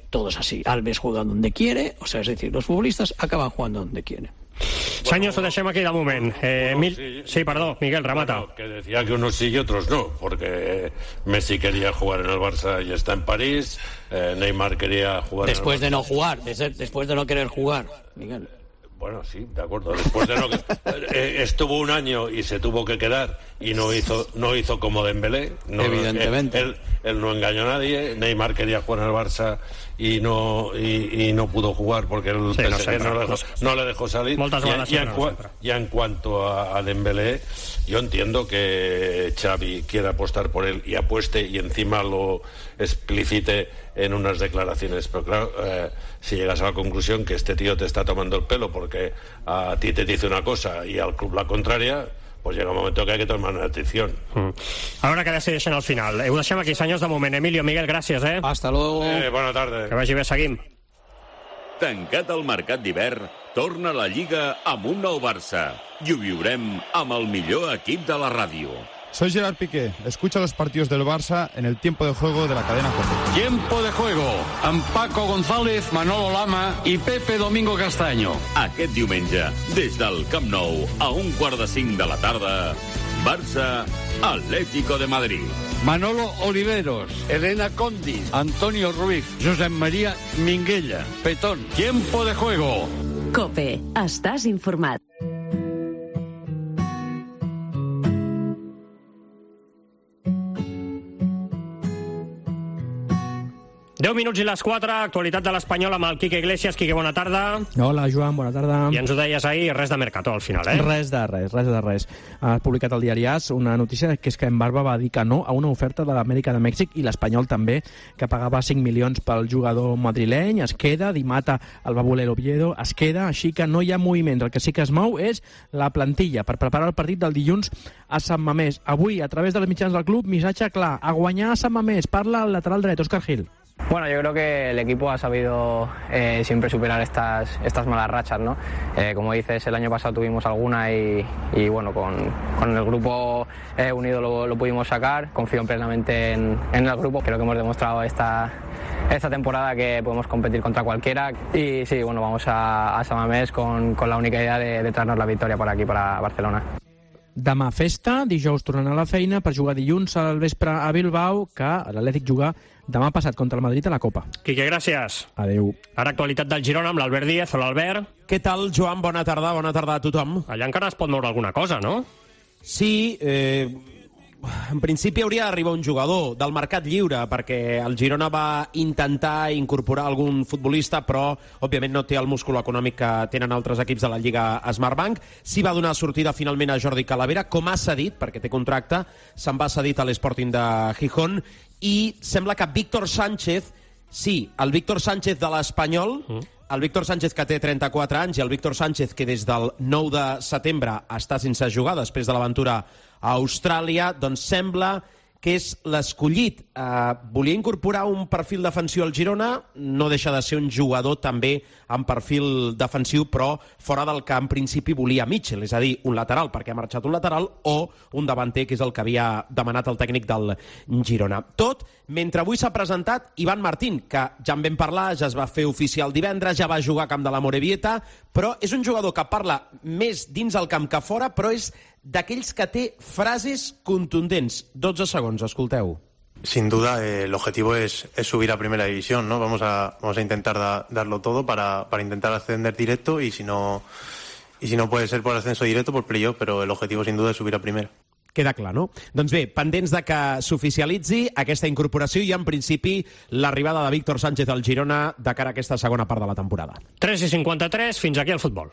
todo es así, Alves juega donde quiere, o sea, es decir, los futbolistas acaban jugando donde quieren. Senyors, ho deixem aquí de moment. Sí, perdó, Miguel, remata. Bueno, que decía que unos sí y otros no, porque Messi quería jugar en el Barça y está en París, Neymar quería jugar después en el Barça. De no jugar, después de no querer jugar, Miguel. Bueno, sí, de acuerdo. Después de estuvo un año y se tuvo que quedar y no hizo como Dembélé. No, evidentemente. Él no engañó a nadie. Neymar quería jugar en el Barça y no pudo jugar porque el PSG no le dejó salir. Y en cuanto a Dembélé, yo entiendo que Xavi quiera apostar por él y apueste y encima lo explicite en unas declaraciones, pero claro, si llegas a la conclusión que este tío te está tomando el pelo porque a ti te dice una cosa y al club la contraria, pues llega un momento que hay que tomar una decisión. A veure què decideixen al final. Ho deixem aquí, senyors, de moment. Emilio, Miguel, gràcies, Hasta luego. Bona tarda. Que vagi bé, seguim. Tancat el mercat d'hivern, torna la Lliga amb un nou Barça. I ho viurem amb el millor equip de la ràdio. Soy Gerard Piqué. Escucha los partidos del Barça en el tiempo de juego de la cadena COPE. Tiempo de juego amb Paco González, Manolo Lama i Pepe Domingo Castaño. Aquest diumenge, des del Camp Nou, a 1:45 de la tarda, Barça, Atlético de Madrid. Manolo Oliveros, Elena Condi, Antonio Ruiz, Josep María Minguella, Petón. Tiempo de juego. COPE. Estàs informat. 10 minuts i les 4, actualitat de l'Espanyol amb el Quique Iglesias. Quique, bona tarda. Hola, Joan, bona tarda. I ens ho deies ahir, res de Mercato al final, Res de res. Ha publicat el diari AS una notícia que és que en Barba va dir que no a una oferta de l'Amèrica de Mèxic i l'Espanyol també, que pagava 5 milions pel jugador madrileny. Es queda, Di Mata el va voler l'Oviedo, es queda, així que no hi ha moviments. El que sí que es mou és la plantilla per preparar el partit del dilluns a Sant Mamés. Avui, a través dels mitjans del club, missatge clar, a guanyar a Sant Mamés. Parla el lateral dret, Óscar Gil. Bueno, yo creo que el equipo ha sabido siempre superar estas malas rachas, ¿no? Como dices, el año pasado tuvimos alguna y bueno, con el grupo unido lo pudimos sacar. Confío plenamente en el grupo. Creo que hemos demostrado esta temporada que podemos competir contra cualquiera. Y sí, bueno, vamos a San Mamés con la única idea de traernos la victoria por aquí, para Barcelona. Demà festa, dijous tornant a la feina per jugar dilluns al vespre a Bilbao, que l'Atlètic juga demà passat contra el Madrid a la Copa. Quique, gràcies. Adéu. Ara actualitat del Girona amb l'Albert Díez. Hola, Albert. Què tal, Joan? Bona tarda a tothom. Allà encara es pot moure alguna cosa, no? Sí, en principi hauria d'arribar un jugador del mercat lliure, perquè el Girona va intentar incorporar algun futbolista, però òbviament no té el múscul econòmic que tenen altres equips de la Lliga Smartbank. Sí va donar sortida finalment a Jordi Calavera, com ha cedit, perquè té contracte, se'n va cedit a l'Sporting de Gijón, i sembla que Víctor Sánchez, sí, el Víctor Sánchez de l'Espanyol, el Víctor Sánchez que té 34 anys i el Víctor Sánchez que des del 9 de setembre està sense jugar després de l'aventura a Austràlia, doncs sembla que és l'escollit. Volia incorporar un perfil defensiu al Girona, no deixa de ser un jugador també amb perfil defensiu, però fora del que en principi volia Mitchell, és a dir, un lateral, perquè ha marxat un lateral, o un davanter, que és el que havia demanat el tècnic del Girona. Tot mentre avui s'ha presentat Ivan Martín, que ja en vam parlar, ja es va fer oficial divendres, ja va jugar a camp de la Morevieta, però és un jugador que parla més dins el camp que fora, però és d'aquells que té frases contundents. 12 segons, escolteu. Sin duda, el objetivo es subir a Primera División, ¿no? Vamos a intentar darlo todo para intentar ascender directo y si no puede ser por ascenso directo, por playoff, pero el objetivo sin duda es subir a Primera. Queda clar, no? Doncs bé, pendents de que s'oficialitzi aquesta incorporació i, en principi, l'arribada de Víctor Sánchez al Girona de cara a aquesta segona part de la temporada. 3:53, fins aquí el futbol.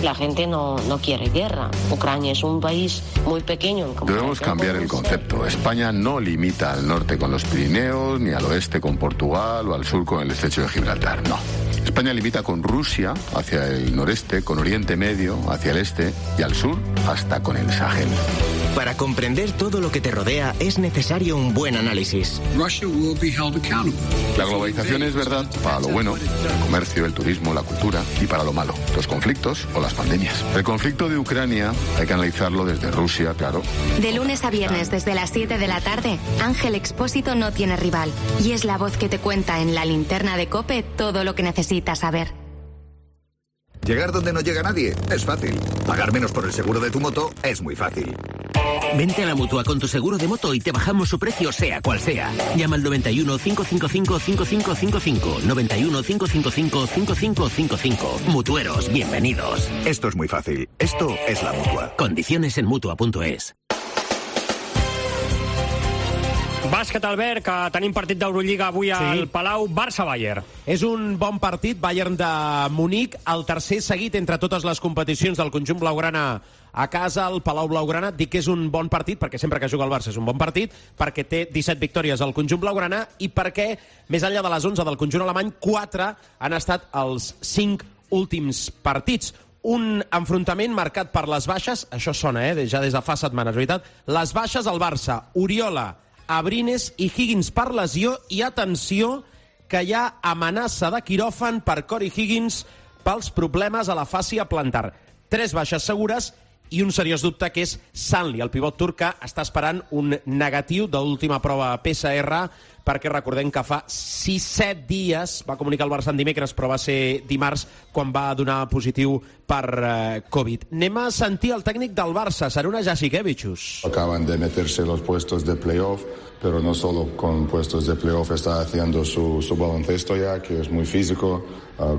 La gente no quiere guerra. Ucrania es un país muy pequeño. Debemos cambiar el concepto. España no limita al norte con los Pirineos, ni al oeste con Portugal o al sur con el estrecho de Gibraltar. No. España limita con Rusia hacia el noreste, con Oriente Medio hacia el este y al sur hasta con el Sahel. Para comprender todo lo que te rodea es necesario un buen análisis. La globalización es verdad para lo bueno, el comercio, el turismo, la cultura, y para lo malo, los conflictos o las pandemias. El conflicto de Ucrania hay que analizarlo desde Rusia, claro. De lunes a viernes desde las 7 de la tarde, Ángel Expósito no tiene rival y es la voz que te cuenta en la linterna de COPE todo lo que necesitas saber. Llegar donde no llega nadie es fácil. Pagar menos por el seguro de tu moto es muy fácil. Vente a la Mutua con tu seguro de moto y te bajamos su precio sea cual sea. Llama al 91 555 5555. 91 555 5555. Mutueros, bienvenidos. Esto es muy fácil. Esto es la Mutua. Condiciones en Mutua.es. Bàsquet, Albert, que tenim partit d'Eurolliga avui al Palau, Barça-Bayern. És un bon partit, Bayern de Munic, el tercer seguit entre totes les competicions del conjunt blaugrana a casa, al Palau Blaugrana. Dic que és un bon partit, perquè sempre que juga el Barça és un bon partit, perquè té 17 victòries al conjunt blaugrana i perquè, més enllà de les 11 del conjunt alemany, 4 han estat els 5 últims partits. Un enfrontament marcat per les baixes, això sona, ja des de fa setmanes, veritat? Les baixes al Barça, Oriola, Abrines i Higgins per lesió, i atenció que hi ha amenaça de quiròfan per Corey Higgins pels problemes a la fàscia plantar. 3 baixes segures i un seriós dubte, que és Sanli, el pivot turc, que està esperant un negatiu de l'última prova PCR, perquè recordem que fa 6-7 dies va comunicar el Barça en dimecres, però va ser dimarts quan va donar positiu per Covid. Anem a sentir el tècnic del Barça, Šarūnas Jasikevičius. Acaban de meterse los puestos de playoff, pero no solo con puestos de playoff, está haciendo su baloncesto ya, que es muy físico,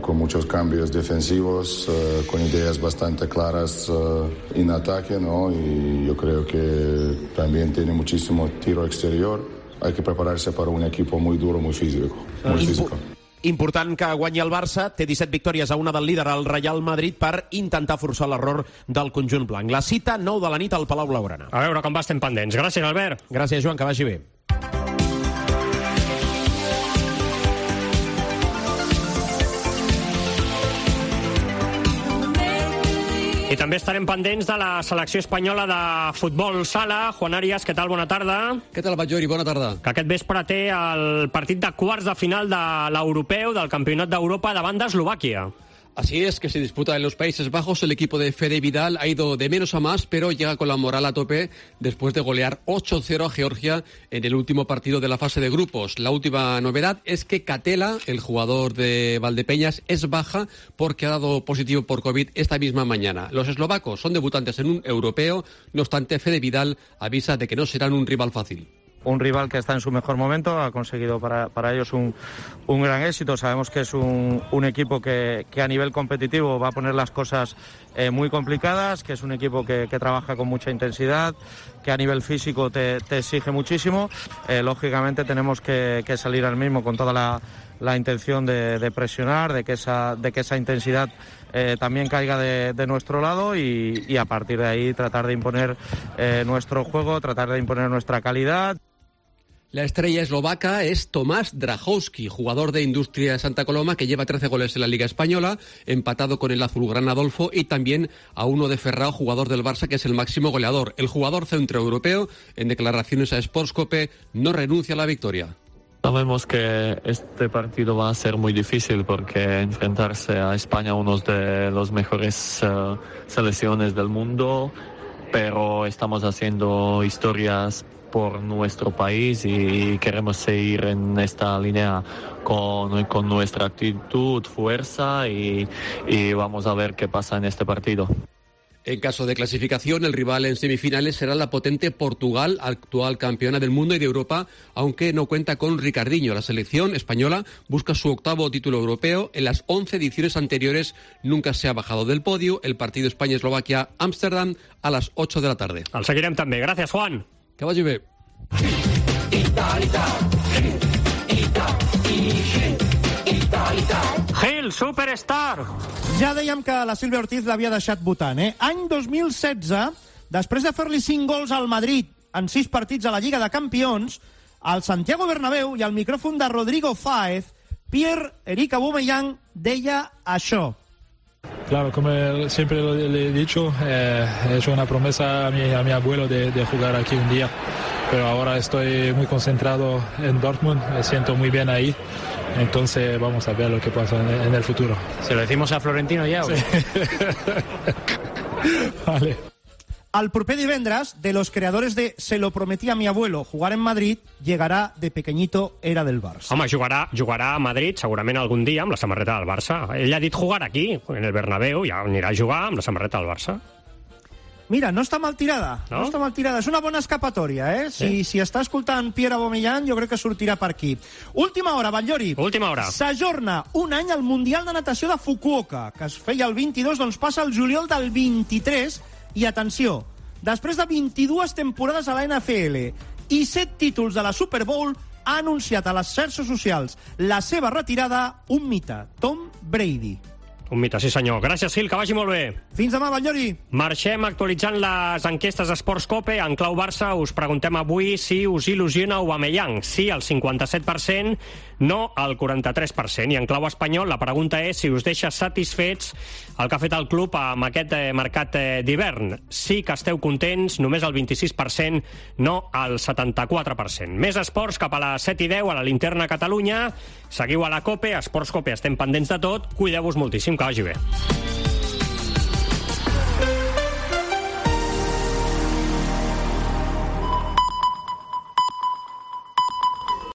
con muchos cambios defensivos, con ideas bastante claras en ataque, ¿no? Y yo creo que también tiene muchísimo tiro exterior. Hay que prepararse para un equipo muy duro, muy físico. Muy físico. Important que guanyi el Barça, té 17 victòries a una del líder, el Real Madrid, per intentar forçar l'error del conjunt blanc. La cita, 9 de la nit al Palau Blaugrana. A veure com va, estem pendents. Gràcies, Albert. Gràcies, Joan, que vagi bé. I també estarem pendents de la selecció espanyola de futbol sala. Juan Arias, què tal? Bona tarda. Què tal, Batllori? Bona tarda. Que aquest vespre té el partit de quarts de final de l'europeu, del Campionat d'Europa, davant d'Eslovàquia. Así es, que se disputa en los Países Bajos. El equipo de Fede Vidal ha ido de menos a más, pero llega con la moral a tope después de golear 8-0 a Georgia en el último partido de la fase de grupos. La última novedad es que Catela, el jugador de Valdepeñas, es baja porque ha dado positivo por COVID esta misma mañana. Los eslovacos son debutantes en un europeo, no obstante Fede Vidal avisa de que no serán un rival fácil. Un rival que está en su mejor momento, ha conseguido para ellos un gran éxito. Sabemos que es un equipo que a nivel competitivo va a poner las cosas muy complicadas, que es un equipo que trabaja con mucha intensidad, que a nivel físico te exige muchísimo. Lógicamente tenemos que salir al mismo con toda la intención de presionar, de que esa intensidad también caiga de nuestro lado y a partir de ahí tratar de imponer nuestro juego, tratar de imponer nuestra calidad. La estrella eslovaca es Tomás Drahowski, jugador de Industria Santa Coloma, que lleva 13 goles en la Liga Española, empatado con el azulgrana Adolfo, y también a uno de Ferrao, jugador del Barça, que es el máximo goleador. El jugador centroeuropeo, en declaraciones a Sportscope, no renuncia a la victoria. Sabemos que este partido va a ser muy difícil porque enfrentarse a España, uno de los mejores selecciones del mundo, pero estamos haciendo historias por nuestro país y queremos seguir en esta línea con nuestra actitud, fuerza y vamos a ver qué pasa en este partido. En caso de clasificación, el rival en semifinales será la potente Portugal, actual campeona del mundo y de Europa, aunque no cuenta con Ricardinho. La selección española busca su 8º título europeo. En las 11 ediciones anteriores nunca se ha bajado del podio. El partido España-Eslovaquia-Ámsterdam a las 8 de la tarde. El seguirem també. Gràcies, Juan. Que vagi bé. Gil, Superstar! Ja dèiem que la Sílvia Ortiz l'havia deixat votant, Any 2016, després de fer-li 5 gols al Madrid en 6 partits a la Lliga de Campions, al Santiago Bernabéu i al micròfon de Rodrigo Fáez, Pierre-Emerick Aubameyang deia això. Claro, como siempre le he dicho, he hecho una promesa a mi abuelo de jugar aquí un día, pero ahora estoy muy concentrado en Dortmund, me siento muy bien ahí, entonces vamos a ver lo que pasa en el futuro. ¿Se lo decimos a Florentino ya? Sí. Vale. Al proper divendres, de los creadores de Se lo prometí a mi abuelo jugar en Madrid, llegará de pequeñito era del Barça. Home, jugarà a Madrid segurament algun dia amb la samarreta del Barça. Ell ha dit jugar aquí, en el Bernabéu, ja anirà a jugar amb la samarreta del Barça. Mira, no està mal tirada. No està mal tirada. És una bona escapatòria, Si està escoltant Pierre Aubameyang, jo crec que sortirà per aquí. Última hora, Batllori. Última hora. S'ajorna un any al Mundial de Natació de Fukuoka, que es feia el 22, doncs passa el juliol del 23. I atenció, després de 22 temporades a la NFL i 7 títols de la Super Bowl, ha anunciat a les xarxes socials la seva retirada un mite, Tom Brady. Un mite, sí senyor. Gràcies, Gil, que vagi molt bé. Fins demà, Batllori. Marxem actualitzant les enquestes Esports Cope. En clau Barça us preguntem avui si us il·lusiona Aubameyang. Sí, al 57%, no al 43%. I en clau espanyol la pregunta és si us deixa satisfets el que ha fet el club amb aquest mercat d'hivern. Sí que esteu contents, només el 26%, no el 74%. Més esports cap a les 7:10 a la Linterna Catalunya. Seguiu a la Cope, Esports Cope, estem pendents de tot. Cuideu-vos moltíssim, que vagi bé.